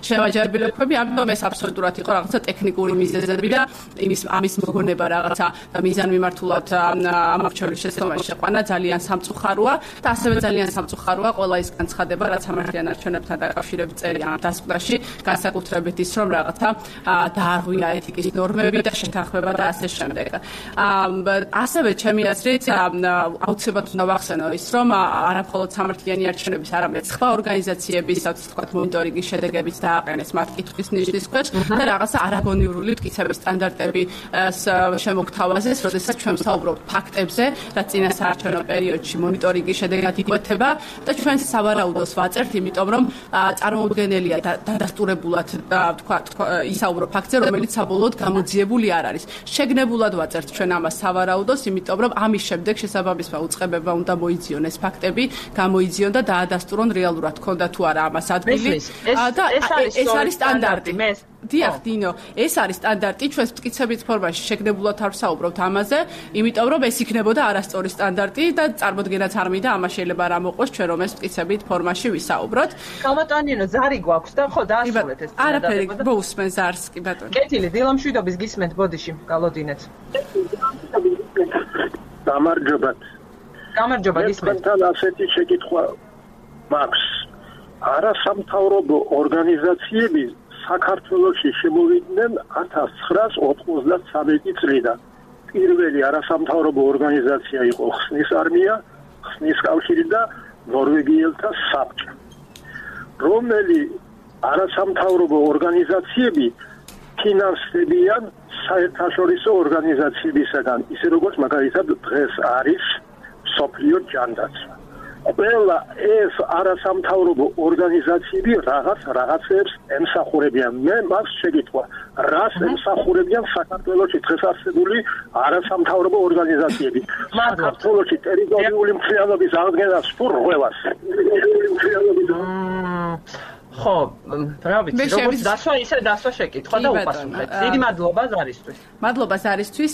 შევაჯერებილებები, ამიტომ ეს აბსოლუტურად იყო რაღაცა ტექნიკური მიზეზები და იმის ამის მოგონება რაღაცა მიზანმიმართულად ამ არჩევნების შეცდომაში შეყვანა ძალიან სამწუხაროა და ასევე ძალიან სამწუხაროა ყველა ის განცხადება, რაც სამართლიან არჩევნებთან დაკავშირებით წერია ამ დასკვნაში, განსაკუთრებით ის, რომ რაღაცა დაარღვია ეთიკის ნორმები და შეთანხმება განსახმება და ასე შემდეგ. ასევე ჩემი აზრით აუცილებლად უნდა ვახსენო ის, რომ არა მხოლოდ სამართლიანი არჩევნების, არამედ სხვა ორგანიზაციების, ასე ვთქვათ, მონიტორინგის შედეგებიც დააყენეს მათ კითხვის ნიშნის ქვეშ და რაღაცა არაგონიურული მტკიცების სტანდარტები შემოგთავაზეს, როდესაც ჩვენ ვსაუბრობთ ფაქტებზე, რაც წინა საარჩევნო პერიოდში მონიტორინგის შედეგად იკვეთება და ჩვენ სავარაუდოს ვაწერთ, იმიტომ რომ წარმოუდგენელია დადასტურებულად ვთქვათ ისაუბრო ფაქტზე, რომელიც საბოლოოდ გამოძიებული არ არის. შეგნებულად ვაწერთ ჩვენ ამას სავარაუდოს, იმიტომ რომ ამის შემდეგ შესაბამისმა უწყებებმა უნდა მოიძიონ ეს ფაქტები, გამოიძიონ და დაადასტურონ რეალურად ქონდა თუ არა ამას ადგილი და ეს არის სტანდარტი. დიახ, დინო, ეს არის სტანდარტი, ჩვენ მტკიცების ფორმაში შეგნებულად არ ვსაუბრობთ ამაზე, იმიტომ რომ ეს იქნებოდა არასწორი სტანდარტი და წარმოდგენაც არ მინდა ამას შეიძლება არ ამოყოს ჩვენ რომ ეს მტკიცებით ფორმაში ვისაუბროთ. კალმატონინო, ზარი გვაქვს და ხო დაასრულეთ ეს. არაფერი მოусმენ ზარს კი ბატონო. კეთილი, დილამშვიდობის გისმენთ ბოდიში, გალოდინეთ. გამარჯობათ. გამარჯობა გისმენთ. თან ასეთი შეკითხვა მაქვს. არასამთავრობო ორგანიზაციები საქართველოში შემოვიდნენ ათას ცხრაას ოცდათსამეტი წლიდან. პირველი არასამთავრობო ორგანიზაცია იყო ხსნის არმია, ხსნის კავშირი და ნორვეგიელთა საბჭო. რომელი არასამთავრობო ორგანიზაციები ფინანსდებიან საერთაშორისო ორგანიზაციებისგან, ისე როგორც მაგალითად დღეს არის მსოფლიო ჯანდაცვა. ყველა ეს არასამთავრობო ორგანიზაციები რაღაც რაღაცებს ემსახურებიან. მე მას შეგითხრა, რას ემსახურებიან საქართველოში დღეს არსებული არასამთავრობო ორგანიზაციები? საქართველოში ტერიტორიული მთლიანობის აღდგენას თუ რღვევას? ხო, რა ვიცი, როგორც დასვა ისე დასვა შეკითხვა და უპასუხეთ. დიდი მადლობა ზარისთვის. მადლობა ზარისთვის.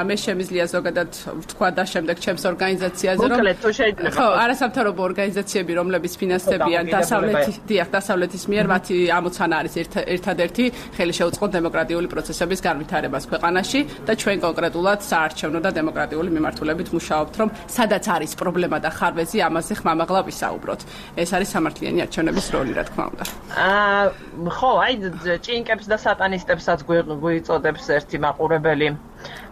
მე შემიძლია ზოგადად ვთქვა და შემდეგ ჩემს ორგანიზაციაზე რომ მოკლედ თუ შეიძლება. ხო, არასამთავრობო ორგანიზაციები, რომლებიც ფინანსდებიან დასავლეთის, დიახ, დასავლეთის მიერ, მათი ამოცანა არის ერთადერთი ხელი შეუწყო დემოკრატიული პროცესების განვითარებას ქვეყანაში და ჩვენ კონკრეტულად საარჩევნო და დემოკრატიული მიმართულებით მუშაობთ, რომ სადაც არის პრობლემა და ხარვეზი, ამაზე ხმამაღლა ვისაუბროთ. ეს არის სამართლიანი არჩევნების როლი, რა თქმა უნდა. აა ხო, აი ჭინკებს და სატანისტებსაც გვიწოდებს ერთი მაყურებელი.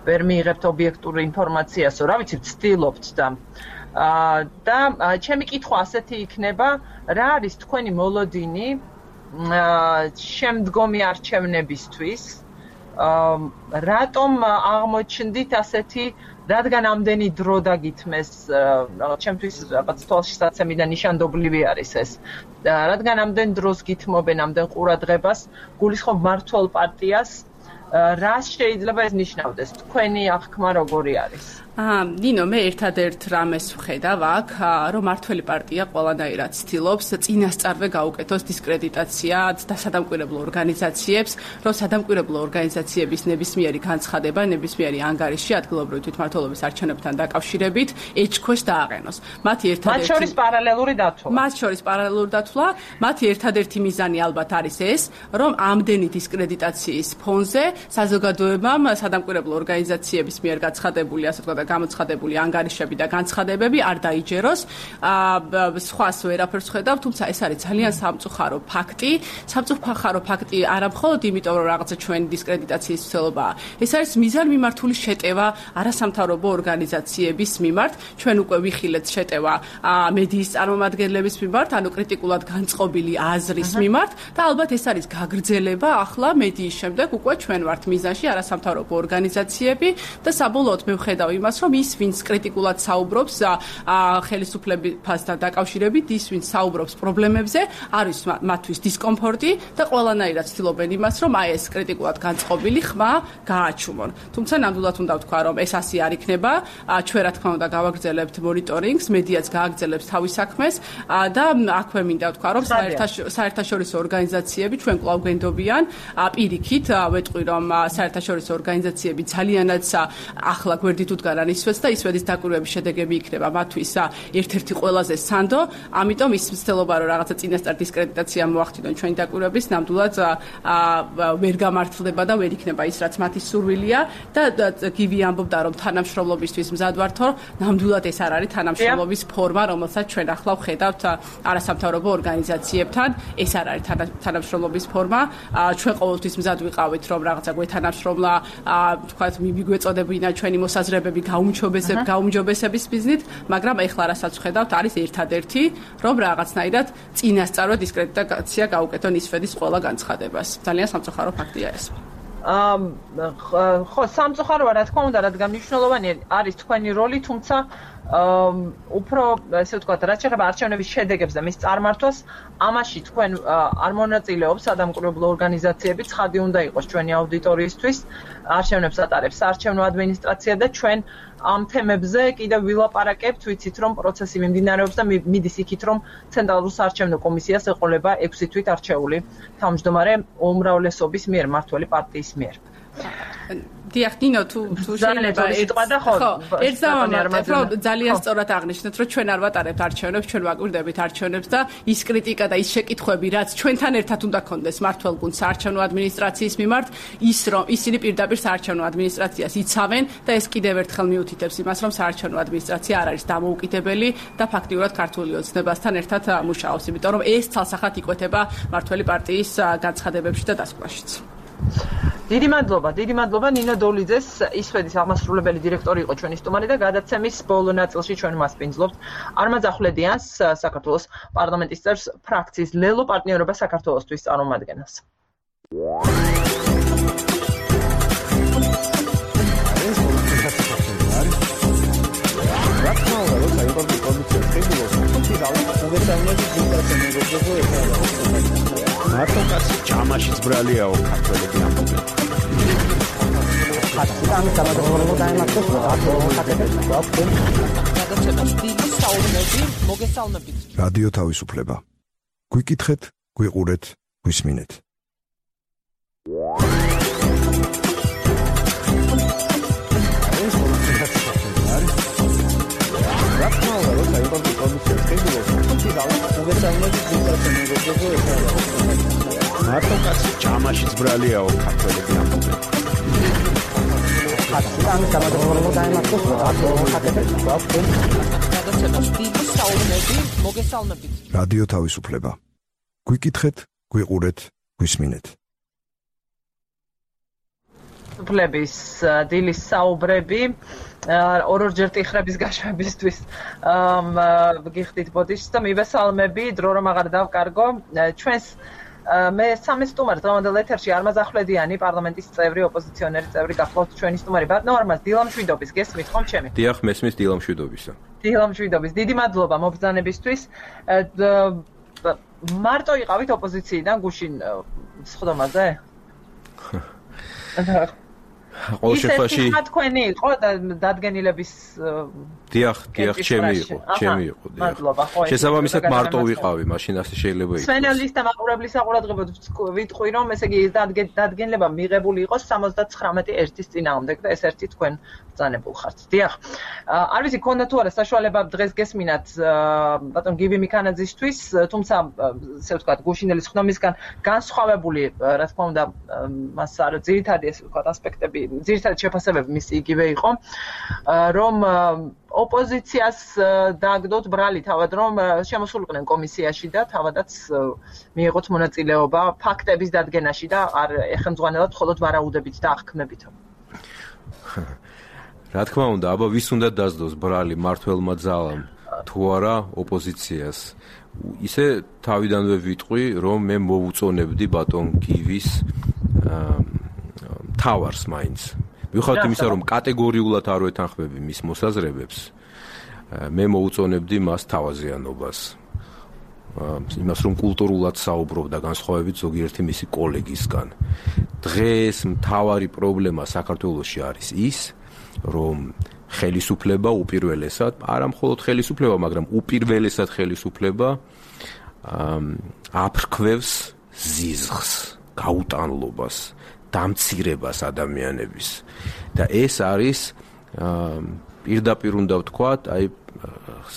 ვერ მიიღებთ ობიექტური ინფორმაციას, რა ვიცი, ვცდილობთ და აა და ჩემი კითხვა ასეთი იქნება, რა არის თქვენი მოლოდინი აა შემდგომი არჩევნებისთვის? აა რატომ აღმოჩნდით ასეთი რადგან ამდენი დრო დაგითმეს, ჩემთვის რაღაც თვალშისაცემი და ნიშანდობლივი არის ეს. რადგან ამდენ დროს გითმობენ ამდენ ყურადღებას, გულისხმობ მმართველ პარტიას, რას შეიძლება ეს ნიშნავდეს? თქვენი აღქმა როგორი არის? აა, ნინო, მე ერთადერთ რამეს ვხედავ აქ, რომ მართველი პარტია ყველანაირად ცდილობს წინასწარვე გაუკეთოს დისკრედიტაცია და სადამკვირვებლო ორგანიზაციებს, რომ სადამკვირვებლო ორგანიზაციების ნებისმიერი განცხადება, ნებისმიერი ანგარიში ადგილობრივი თვითმმართველობის არჩევნებთან დაკავშირებით ეჭქვეშ დააყენოს. მათი ერთადერთი მათ შორის პარალელური დათვლა. მათ შორის პარალელური დათვლა, მათი ერთადერთი მიზანი ალბათ არის ეს, რომ ამდენი დისკრედიტაციის ფონზე საზოგადოებამ სადამკვირვებლო ორგანიზაციების მიერ გაცხადებული, ასე ვთქვათ, გამოცხადებული ანგარიშები და განცხადებები არ დაიჯეროს. აა სხვას ვერაფერს ხედავ, თუმცა ეს არის ძალიან სამწუხარო ფაქტი. სამწუხარო ფაქტი არა მხოლოდ იმიტომ, რომ რაღაცა ჩვენი დისკრედიტაციის ცდილობაა. ეს არის მიზანმიმართული შეტევა არასამთავრობო ორგანიზაციების მიმართ. ჩვენ უკვე ვიხილეთ შეტევა მედიის წარმომადგენლების მიმართ, ანუ კრიტიკულად განწყობილი აზრის მიმართ და ალბათ ეს არის გაგრძელება ახლა მედიის შემდეგ უკვე ჩვენ ვართ მიზანში არასამთავრობო ორგანიზაციები და საბოლოოდ მე ვხედავ იმას, რომ ის, ვინც კრიტიკულად საუბრობს ხელისუფლებასთან დაკავშირებით, ის, ვინც საუბრობს პრობლემებზე, არის მათთვის დისკომფორტი და ყველანაირად ცდილობენ იმას, რომ აი ეს კრიტიკულად განწყობილი ხმა გააჩუმონ. თუმცა ნამდვილად უნდა ვთქვა, რომ ეს ასე არ იქნება. ჩვენ რა თქმა უნდა გავაგრძელებთ მონიტორინგს, მედიაც გააგრძელებს თავის საქმეს და აქვე მინდა ვთქვა, რომ საერთაშორისო ორგანიზაციები ჩვენ კვლავ გვენდობიან. პირიქით ვეტყვი, რომ საერთაშორისო ორგანიზაციები ძალიანაც ახლა გვერდით უდგანან ისვეთს და ისვეთის დაკვირვების შედეგები იქნება მათთვის ერთ-ერთი ყველაზე სანდო, ამიტომ ის მცდელობა, რომ რაღაცა წინასწარ დისკრედიტაცია მოახდინონ ჩვენი დაკვირვების, ნამდვილად ვერ გამართლდება და ვერ იქნება ის, რაც მათი სურვილია და გივი ამბობდა, რომ თანამშრომლობისთვის მზად ვართო, ნამდვილად ეს არ არის თანამშრომლობის ფორმა, რომელსაც ჩვენ ახლა ვხედავთ არასამთავრობო ორგანიზაციებთან, ეს არ არის თანამშრომლობის ფორმა. ჩვენ ყოველთვის მზად ვიყავით, რომ რაღაცა რაღაცა გვეთანავს რომ თქვათ მიგვეწოდებინა ჩვენი მოსაზრებები გაუმჯობესებ გაუმჯობესების მიზნით, მაგრამ ეხლა რასაც ხედავთ არის ერთადერთი, რომ რაღაცნაირად წინასწარ დისკრედიტაცია გაუკეთონ ისფედის ყველა განცხადებას. ძალიან სამწუხარო ფაქტია ეს. ხო, სამწუხაროა რა თქმა უნდა, რადგან მნიშვნელოვანი არის თქვენი როლი, თუმცა უფრო ესე ვთქვათ, რაც შეეხება არჩევნების შედეგებს და მის წარმართვას, ამაში თქვენ არ მონაწილეობს სადამკვირვებლო ორგანიზაციები, ცხადი უნდა იყოს ჩვენი აუდიტორიისთვის, არჩევნებს ატარებს საარჩევნო ადმინისტრაცია და ჩვენ ამ თემებზე კიდევ ვილაპარაკებთ, ვიცით რომ პროცესი მიმდინარეობს და მიდის იქით რომ ცენტრალურ საარჩევნო კომისიას ეყოლება ექვსი თვით არჩეული თავმჯდომარე უმრავლესობის მიერ, მმართველი პარტიის მიერ. დიახ, ნინო, თუ თუ შეიძლება ერთ დავამატებ, რომ ძალიან სწორად აღნიშნეთ, რომ ჩვენ არ ვატარებთ არჩევნებს, ჩვენ ვაკვირდებით არჩევნებს და ის კრიტიკა და ის შეკითხვები, რაც ჩვენთან ერთად უნდა კონდეს მმართველ გუნდს საარჩევნო ადმინისტრაციის მიმართ, ის რომ ისინი პირდაპირ საარჩევნო ადმინისტრაციას იცავენ და ეს კიდევ ერთხელ მიუთითებს იმას, რომ საარჩევნო ადმინისტრაცია არ არის დამოუკიდებელი და ფაქტიურად ქართული ოცნებასთან ერთად მუშაობს, იმიტომ რომ ეს ცალსახად იკვეთება მმართველი პარტიის განცხადებებში და დასკვნაშიც. დიდი მადლობა, დიდი მადლობა ნინო დოლიძეს, ისფედის აღმასრულებელი დირექტორი იყო ჩვენი სტუმარი და გადაცემის ბოლო ნაწილში ჩვენ მასპინძლობთ არმაზ ახვლედიანს, საქართველოს პარლამენტის წევრს, ფრაქციის ლელო პარტნიორობა საქართველოსთვის წარმომადგენელს. მარტო კაცი ჭამაშიც ბრალიაო ქართველები ამბობენ. ამის გამარჯვება დაემართოს ხატებს გადაცემას დიდი საუბნები მოგესალმებით. რადიო თავისუფლება. გვიკითხეთ, გვიყურეთ, გვისმინეთ. მარტო კაცი ჭამაშიც ბრალიაო ქართველები ამბობენ. ამის გამარჯვება დაემართოს ხატებს გადაცემას დიდი საუბნები მოგესალმებით. რადიო თავისუფლება. გვიკითხეთ, გვიყურეთ, გვისმინეთ. უფლების დილის საუბრები ორ-ორჯერ ტიხრების გაშვებისთვის გიხდით ბოდიშს და მივესალმები, დრო რომ აღარ დავკარგო ჩვენს მე სამი სტუმარი დღევანდელ ეთერში არმაზ ახვლედიანი, პარლამენტის წევრი, ოპოზიციონერი წევრი გახლავთ ჩვენი სტუმარი. ბატონო არმაზ, დილამშვიდობის, გესმით ხომ ჩემი? დიახ, მესმის დილამშვიდობისა. დილამშვიდობის, დიდი მადლობა მობრძანებისთვის. მარტო იყავით ოპოზიციიდან გუშინ სხდომაზე? ყოველ შემთხვევაში ის თქვენი იყო დადგენილების დიახ, დიახ, ჩემი იყო, ჩემი იყო, დიახ. მადლობა, ხო. შესაბამისად მარტო ვიყავი, მაშინ ასე შეიძლება იყოს. სვენელის და მაყურებლის საყურადღებოდ ვიტყვი, რომ ესე იგი დადგენილება მიღებული იყოს სამოცდათხრამეტი ერთის წინააღმდეგ და ეს ერთი თქვენ ბრძანებულ ხართ. დიახ. არ ვიცი, ქონდა თუ არა საშუალება დღეს გესმინათ ბატონ გივი მიქანაძისთვის, თუმცა ესე ვთქვათ, გუშინდელი სხდომისგან განსხვავებული, რა თქმა უნდა, მას არ ძირითადი ესე ვთქვათ ასპექტები ძირითადად შეფასებები მის იგივე იყო, რომ ოპოზიციას დააგდოთ ბრალი თავად, რომ შემოსულიყვნენ კომისიაში და თავადაც მიიღოთ მონაწილეობა ფაქტების დადგენაში და არ ეხემძღვანელად მხოლოდ ვარაუდებით და აღქმებით. რა თქმა უნდა, აბა ვის უნდა დასდოს ბრალი მართველმა ძალამ თუ არა ოპოზიციას. ისე თავიდანვე ვიტყვი, რომ მე მოვუწონებდი ბატონ გივის თავარს მაინც. მიუხედავად იმისა, რომ კატეგორიულად არ ვეთანხმები მის მოსაზრებებს, მე მოუწონებდი მას თავაზიანობას. იმას, რომ კულტურულად საუბრობდა განსხვავებით ზოგიერთი მისი კოლეგისგან. დღეს მთავარი პრობლემა საქართველოში არის ის, რომ ხელისუფლება უპირველესად, არა მხოლოდ ხელისუფლება, მაგრამ უპირველესად ხელისუფლება აფრქვევს ზიზღს, გაუტანლობას, დამცირებას ადამიანების. და ეს არის პირდაპირ უნდა ვთქვათ, აი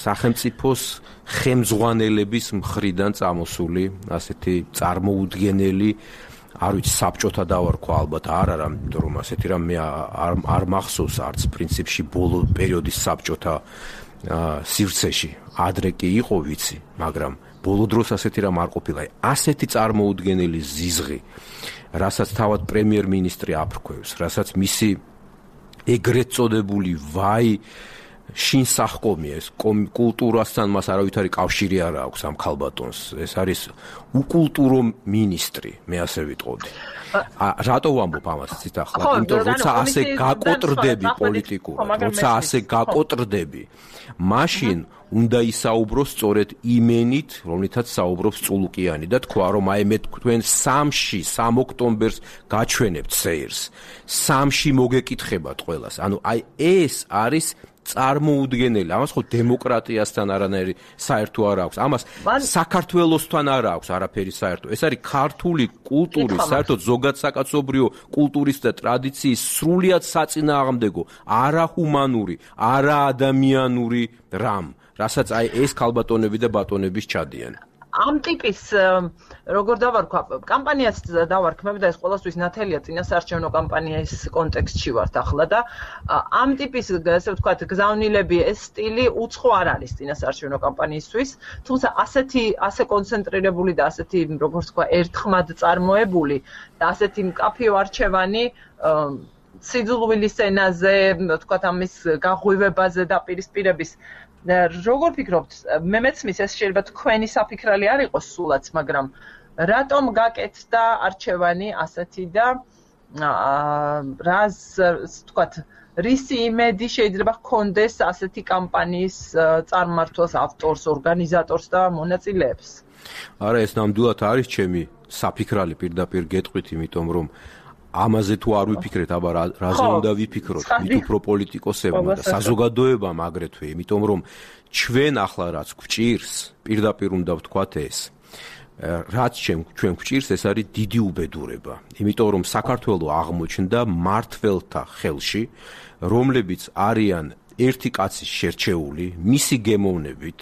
სახელმწიფოს ხელმძღვანელების მხრიდან წამოსული ასეთი წარმოუდგენელი, არ ვიცი, საბჭოთა დავარქვა ალბათ არ არა, იმიტომ რომ ასეთი რამ მე არ არ მახსოვს არც პრინციპში ბოლო პერიოდის საბჭოთა სივრცეში. ადრე კი იყო ვიცი, მაგრამ ბოლო დროს ასეთი რამ არ ყოფილა. ასეთი წარმოუდგენელი ზიზღი, რასაც თავად პრემიერ-მინისტრი აფრქვევს, რასაც მისი ეგრეთ წოდებული ვაი შინ სახკომია, ეს კულტურასთან მას არავითარი კავშირი არ აქვს ამ ქალბატონს. ეს არის უკულტურო მინისტრი, მე ასე ვიტყოდი. რატო ვამბობ ამას იცით ახლა? იმიტომ რომ როცა ასე გაკოტრდები პოლიტიკურად, როცა ასე გაკოტრდები, მაშინ უნდა ისაუბრო სწორედ იმენით, რომლითაც საუბრობს წულუკიანი და თქვა, რომ აი მე თქვენ სამში, სამ ოქტომბერს გაჩვენებთ სეირს. სამში მოგეკითხებათ ყველას. ანუ აი ეს არის წარმოუდგენელი. ამას ხო დემოკრატიასთან არანაირი საერთო არ აქვს. ამას საქართველოსთან არ აქვს არაფერი საერთო. ეს არის ქართული კულტურის, საერთოდ ზოგადსაკაცობრიო კულტურის და ტრადიციის სრულიად საწინააღმდეგო, არაჰუმანური, არაადამიანური რამ, რასაც აი ეს ქალბატონები და ბატონების ჩადიან. ამ ტიპის როგორ დავარქვა კამპანიას დავარქმევ და ეს ყოველთვის ნათელია წინასაარჩევნო კამპანიის კონტექსტში ვართ ახლა და ამ ტიპის ასე ვთქვათ გზავნილები ეს სტილი უცხო არ არის წინასაარჩევნო კამპანიისთვის თუმცა ასეთი ასე კონცენტრირებული და ასეთი როგორ ვთქვა ერთხმად წარმოებული და ასეთი მკაფიო არჩევანი სიძულვილის ენაზე ვთქვათ ამის გაღვივებაზე და პირისპირების როგორ ფიქრობთ მე მეცმის ეს შეიძლება თქვენი საფიქრალი არ იყოს სულაც მაგრამ რატომ გაკეთდა არჩევანი ასეთი და რას ვთქვათ რისი იმედი შეიძლება ჰქონდეს ასეთი კამპანიის წარმმართველს ავტორს ორგანიზატორს და მონაწილეებს არა ეს ნამდვილად არის чем საფიქრალი პირდაპირ გეტყვით იმიტომ რომ ამაზე თუ არ ვიფიქრეთ, აბა რაზე უნდა ვიფიქროთ, მით უფრო პოლიტიკოსებმა და საზოგადოებამ აგრეთვე, იმიტომ რომ ჩვენ ახლა რაც გვჭირს, პირდაპირ უნდა ვთქვათ ეს. რაც ჩვენ გვჭირს, ეს არის დიდი უბედურება. იმიტომ რომ საქართველო აღმოჩნდა მართველთა ხელში, რომლებიც არიან ერთი კაცის შერჩეული, მისი გემოვნებით,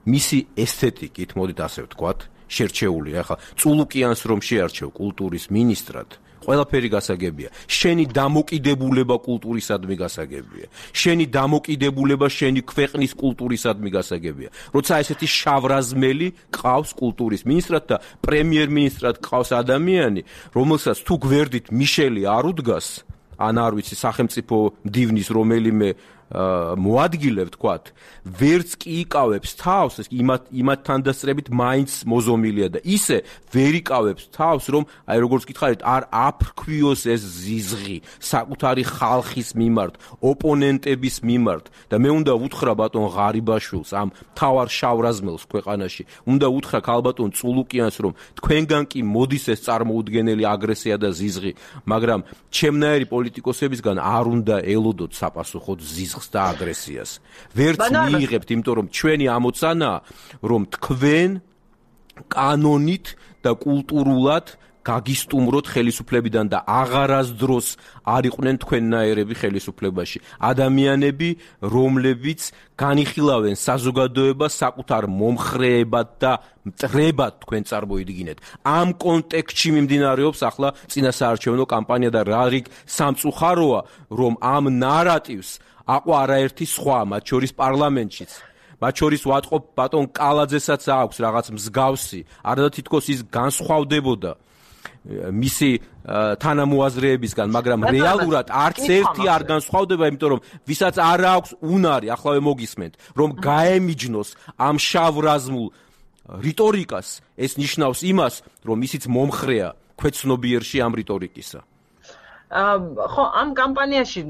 მისი ესთეტიკით, მოდით ასე ვთქვათ, შერჩეული. ახლა წულუკიანს რომ შეარჩევ კულტურის მინისტრად ყველაფერი გასაგებია. შენი დამოკიდებულება კულტურისადმი გასაგებია. შენი დამოკიდებულება შენი ქვეყნის კულტურისადმი გასაგებია. როცა ესეთი შავრაზმელი ყავს კულტურის მინისტრად და პრემიერ-მინისტრად ყავს ადამიანი, რომელსაც თუ გვერდით მიშელი არ უდგას, ან არ ვიცი, სახელმწიფო მდივნის რომელიმე მოადგილე ვთქვათ, ვერც კი იკავებს თავს, იმათ იმათთან დასწრებით მაინც მოზომილია და ისე ვერ იკავებს თავს, რომ აი როგორც გითხარით, არ აფრქვიოს ეს ზიზღი საკუთარი ხალხის მიმართ, ოპონენტების მიმართ და მე უნდა უთხრა ბატონ ღარიბაშვილს, ამ თავარ შავრაზმელს ქვეყანაში, უნდა უთხრა ქალბატონ წულუკიანს, რომ თქვენგან კი მოდის ეს წარმოუდგენელი აგრესია და ზიზღი, მაგრამ ჩემნაირი პოლიტიკოსებისგან არ უნდა ელოდოთ საპასუხოდ ზიზღს და აგრესიას. ვერც მიიღებთ, იმიტომ რომ ჩვენი ამოცანაა, რომ თქვენ კანონით და კულტურულად გაგისტუმროთ ხელისუფლებიდან და აღარასდროს არ იყვნენ თქვენნაირები ხელისუფლებაში. ადამიანები, რომლებიც განიხილავენ საზოგადოებას საკუთარ მომხრეებად და მტრებად თქვენ წარმოიდგინეთ. ამ კონტექსტში მიმდინარეობს ახლა წინასაარჩევნო კამპანია და რა რიგ სამწუხაროა, რომ ამ ნარატივს აყვა არაერთი სხვა, მათ შორის პარლამენტშიც. მათ შორის ვატყობ ბატონ კალაძესაც აქვს რაღაც მსგავსი, არადა თითქოს ის განსხვავდებოდა მისი თანამოაზრეებისგან, მაგრამ რეალურად არც ერთი არ განსხვავდება, იმიტომ რომ ვისაც არ აქვს უნარი, ახლა მოგისმენთ, რომ გაემიჯნოს ამ შავრაზმულ რიტორიკას, ეს ნიშნავს იმას, რომ ისიც მომხრეა ქვეცნობიერში ამ რიტორიკისა. ხო, ამ კამპანიაში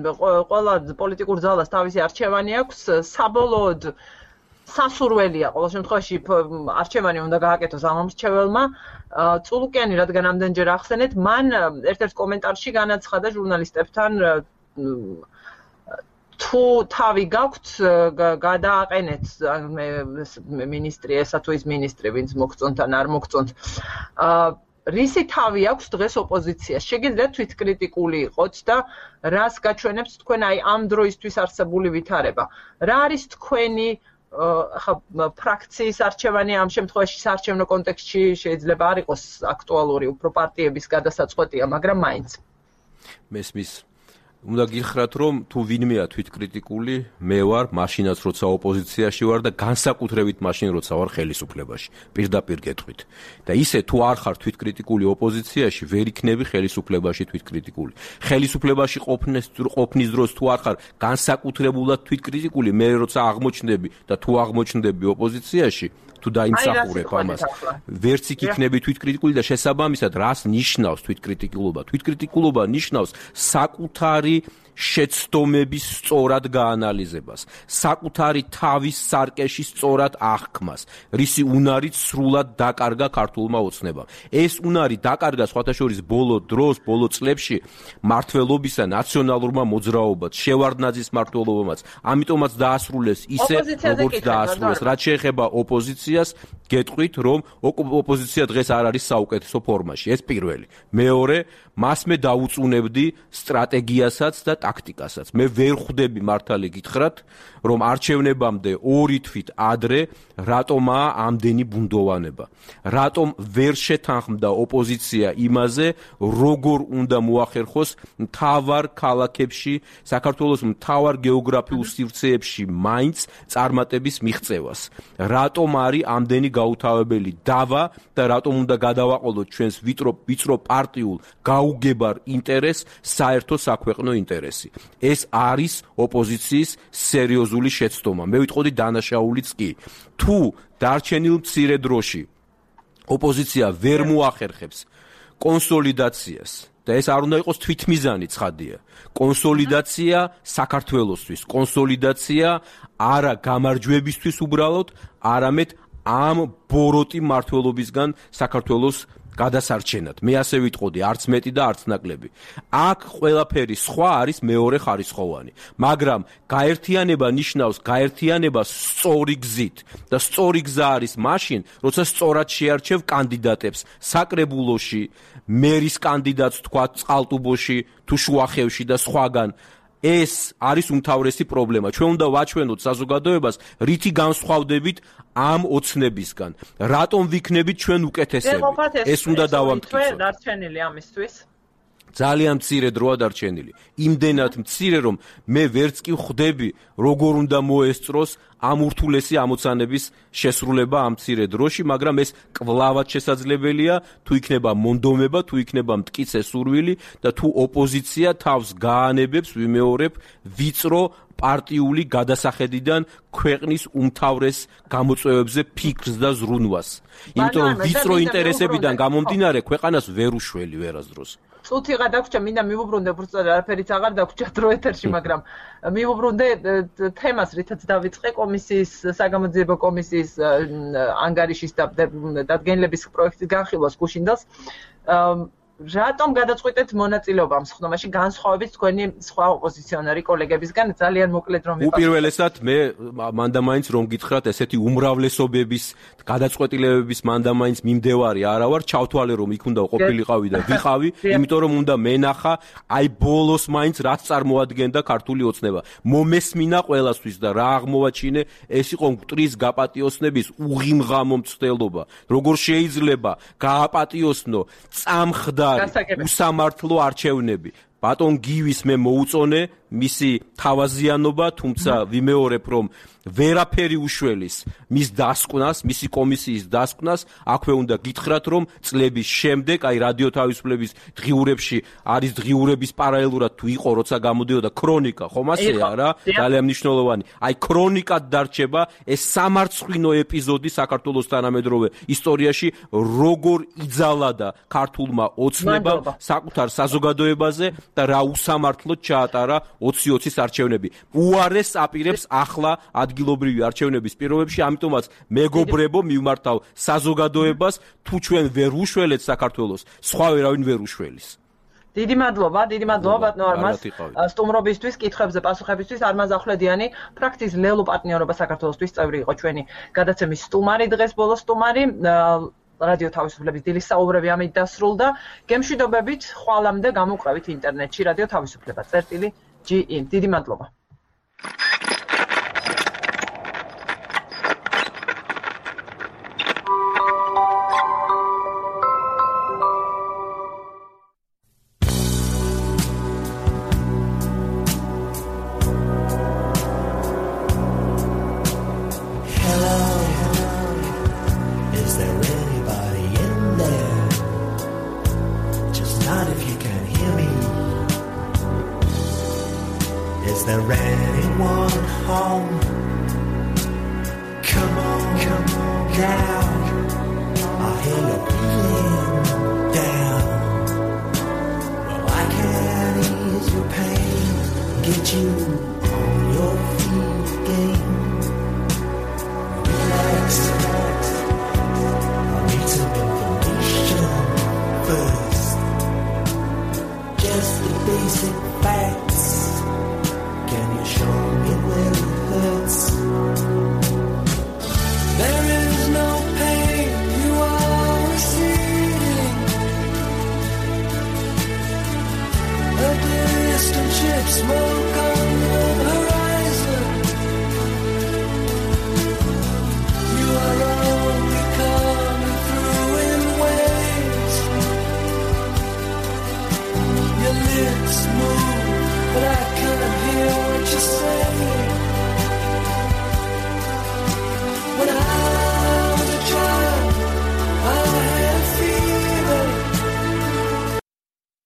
ყველა პოლიტიკურ ძალას თავისი არჩევანი აქვს, საბოლოოდ სასურველია ყოველ შემთხვევაში არჩევანი უნდა გააკეთოს ამ მრჩეველმა. წულუკიანი რადგან ამდენჯერ ახსენეთ, მან ერთ-ერთ კომენტარში განაცხადა ჟურნალისტებთან თუ თავი გაქვთ გადააყენეთ მინისტრი ესა თუ ის მინისტრი ვინც მოგწონთ ან არ მოგწონთ რისი თავი აქვს დღეს ოპოზიციას? შეგიძლიათ თვითკრიტიკული იყოთ და რას გაჩვენებს თქვენ აი ამ დროისთვის არსებული ვითარება? რა არის თქვენი ხა ფრაქციის არჩევანი ამ შემთხვევაში საარჩევნო კონტექსტში შეიძლება არ იყოს აქტუალური, უფრო პარტიების გადასაწყვეტია, მაგრამ მაინც. მესმის უნდა გითხრათ, რომ თუ ვინმეა თვითკრიტიკული, მე ვარ, მაშინაც როცა ოპოზიციაში ვარ და განსაკუთრებით მაშინ როცა ვარ ხელისუფლებაში. პირდაპირ გეტყვით. და ისე თუ არ ხარ თვითკრიტიკული ოპოზიციაში, ვერ იქნები ხელისუფლებაში თვითკრიტიკული. ხელისუფლებაში ყოფნის ყოფნის დროს თუ არ ხარ განსაკუთრებულად თვითკრიტიკული, მე როცა აღმოჩნდები და თუ აღმოჩნდები ოპოზიციაში, თუ დაიმსახურებ ამას, ვერც იქ იქნები თვითკრიტიკული და შესაბამისად რას ნიშნავს თვითკრიტიკულობა? თვითკრიტიკულობა ნიშნავს საკუთარი შეცდომების სწორად გაანალიზებას, საკუთარი თავის სარკეში სწორად აღქმას, რისი უნარით სრულად დაკარგა ქართულმა ოცნებამ. ეს უნარი დაკარგა სხვათა შორის ბოლო დროს, ბოლო წლებში მართლობისა ნაციონალურმა მოძრაობაც, შევარდნაძის მმართველობამაც, ამიტომაც დაასრულეს ისე, როგორც დაასრულეს. რაც შეეხება ოპოზიციას, გეტყვით, რომ ოპოზიცია დღეს არ არის საუკეთესო ფორმაში. ეს პირველი. მეორე, მას მე დაუწუნებდი სტრატეგიასაც და ტაქტიკასაც. მე ვერ ხვდები მართალი გითხრათ, რომ არჩევნებამდე ორი თვით ადრე რატომაა ამდენი ბუნდოვანება. რატომ ვერ შეთანხმდა ოპოზიცია იმაზე, როგორ უნდა მოახერხოს მთავარ ქალაქებში, საქართველოს მთავარ გეოგრაფიულ სივრცეებში მაინც წარმატების მიღწევას. რატომ არის ამდენი გაუთავებელი დავა და რატომ უნდა გადავაყოლოთ ჩვენს ვიწრო ვიწრო პარტიულ გაუგებარ ინტერესს საერთო საქვეყნო ინტერესი. ეს არის ოპოზიციის სერიოზული შეცდომა. მე ვიტყოდი დანაშაულიც კი. თუ დარჩენილ მცირე დროში ოპოზიცია ვერ მოახერხებს კონსოლიდაციას და ეს არ უნდა იყოს თვითმიზანი ცხადია. კონსოლიდაცია საქართველოსთვის, კონსოლიდაცია არა გამარჯვებისთვის უბრალოდ, არამედ ამ ბოროტი მართლობისგან საქართველოს გადასარჩენად. მე ასე ვიტყოდი, არც მეტი და არც ნაკლები. აქ ყველაფერი სხვა არის მეორე ხარისხოვანი. მაგრამ გაერთიანება ნიშნავს გაერთიანებას სწორი გზით და სწორი გზა არის მაშინ, როცა სწორად შეარჩევ კანდიდატებს საკრებულოში, მერის კანდიდატს თქვა წყალტუბოში, თუ შუახევში და სხვაგან. ეს არის უმთავრესი პრობლემა. ჩვენ უნდა ვაჩვენოთ საზოგადოებას, რითი განსხვავდებით ამ ოცნებისგან. რატომ ვიქნებით ჩვენ უკეთესები? ეს უნდა დავამტკიცოთ. დარჩენილი ამისთვის. ძალიან მცირე დროა დარჩენილი. იმდენად მცირე, რომ მე ვერც კი ხვდები, როგორ უნდა მოესწროს ამ ურთულესი ამოცანების შესრულება ამ მცირე დროში, მაგრამ ეს კვლავად შესაძლებელია, თუ იქნება მონდომება, თუ იქნება მტკიცე სურვილი და თუ ოპოზიცია თავს გაანებებს, ვიმეორებ, ვიწრო პარტიული გადასახედიდან ქვეყნის უმთავრეს გამოწვევებზე ფიქრს და ზრუნვას. იმიტომ რომ ვიწრო ინტერესებიდან გამომდინარე ქვეყანას ვერ უშველი ვერასდროს. წუთი გადაგვრჩა, მინდა მივუბრუნდე, უბრალოდ არაფერიც აღარ დაგვრჩა დრო ეთერში, მაგრამ მივუბრუნდე თემას, რითაც დავიწყე კომისიის, საგამოძიებო კომისიის ანგარიშის დადგენილების პროექტის განხილვას გუშინდელს. რატომ გადაწყვეტეთ მონაწილეობა ამ სხდომაში განსხვავებით თქვენი სხვა ოპოზიციონერი კოლეგებისგან? ძალიან მოკლედ რომ ვიყავ. უპირველესად მე მანდამაინც რომ გითხრათ, ესეთი უმრავლესობების გადაწყვეტილებების მანდამაინც მიმდევარი არა ვარ, ჩავთვალე რომ იქ უნდა ყოფილიყავი და ვიყავი, იმიტომ რომ უნდა მენახა, აი ბოლოს მაინც რაც წარმოადგენდა ქართული ოცნება. მომესმინა ყველასთვის და რა აღმოვაჩინე, ეს იყო მტრის გაპატიოსნების უღიმღამო მცდელობა. როგორ შეიძლება გააპატიოსნო წამხდა უსამართლო არჩევნები. ბატონ გივის მე მოუწონე მისი თავაზიანობა, თუმცა ვიმეორებ, რომ ვერაფერი უშველის მის დასკვნას, მისი კომისიის დასკვნას. აქვე უნდა გითხრათ, რომ წლების შემდეგ, აი რადიო თავისუფლების დღიურებში არის დღიურების პარალელურად თუ იყო, როცა გამოდიოდა ქრონიკა, ხომ ასეა რა, ძალიან მნიშვნელოვანი. აი ქრონიკად დარჩება ეს სამარცხვინო ეპიზოდი საქართველოს თანამედროვე ისტორიაში, როგორ იძალადა ქართულმა ოცნებამ საკუთარ საზოგადოებაზე და რა უსამართლოდ ჩაატარა ოცი ოცის არჩევნები. უარეს აპირებს ახლა ადგილობრივი არჩევნების პირობებში, ამიტომაც მეგობრებო მივმართავ საზოგადოებას, თუ ჩვენ ვერ უშველეთ საქართველოს, სხვა ვერავინ ვერ უშველის. დიდი მადლობა, დიდი მადლობა ბატონო არმაზ სტუმრობისთვის, კითხვებზე პასუხებისთვის. არმაზ ახვლედიანი, ფრაქციის ლელო პარტნიორობა საქართველოსთვის წევრი იყო ჩვენი გადაცემის სტუმარი, დღეს ბოლოს სტუმარი. რადიო თავისუფლების დილის საუბრები ამით დასრულდა. გემშვიდობებით, ხვალამდე გამოვყევით ინტერნეტში რადიო თავისუფლება. წერტილი ჯი ინ. დიდი მადლობა. Is there anyone home? Come on, come on down. I hear you feeling down. Well, I can ease your pain, get you on your feet again. Relax, relax. I need some information first. Just the basic facts. Can you show me where it hurts? There is no pain you are receiving. A distant ship smoke on the horizon. You are only coming through in waves. Your lips move, but I can't hear what you're saying.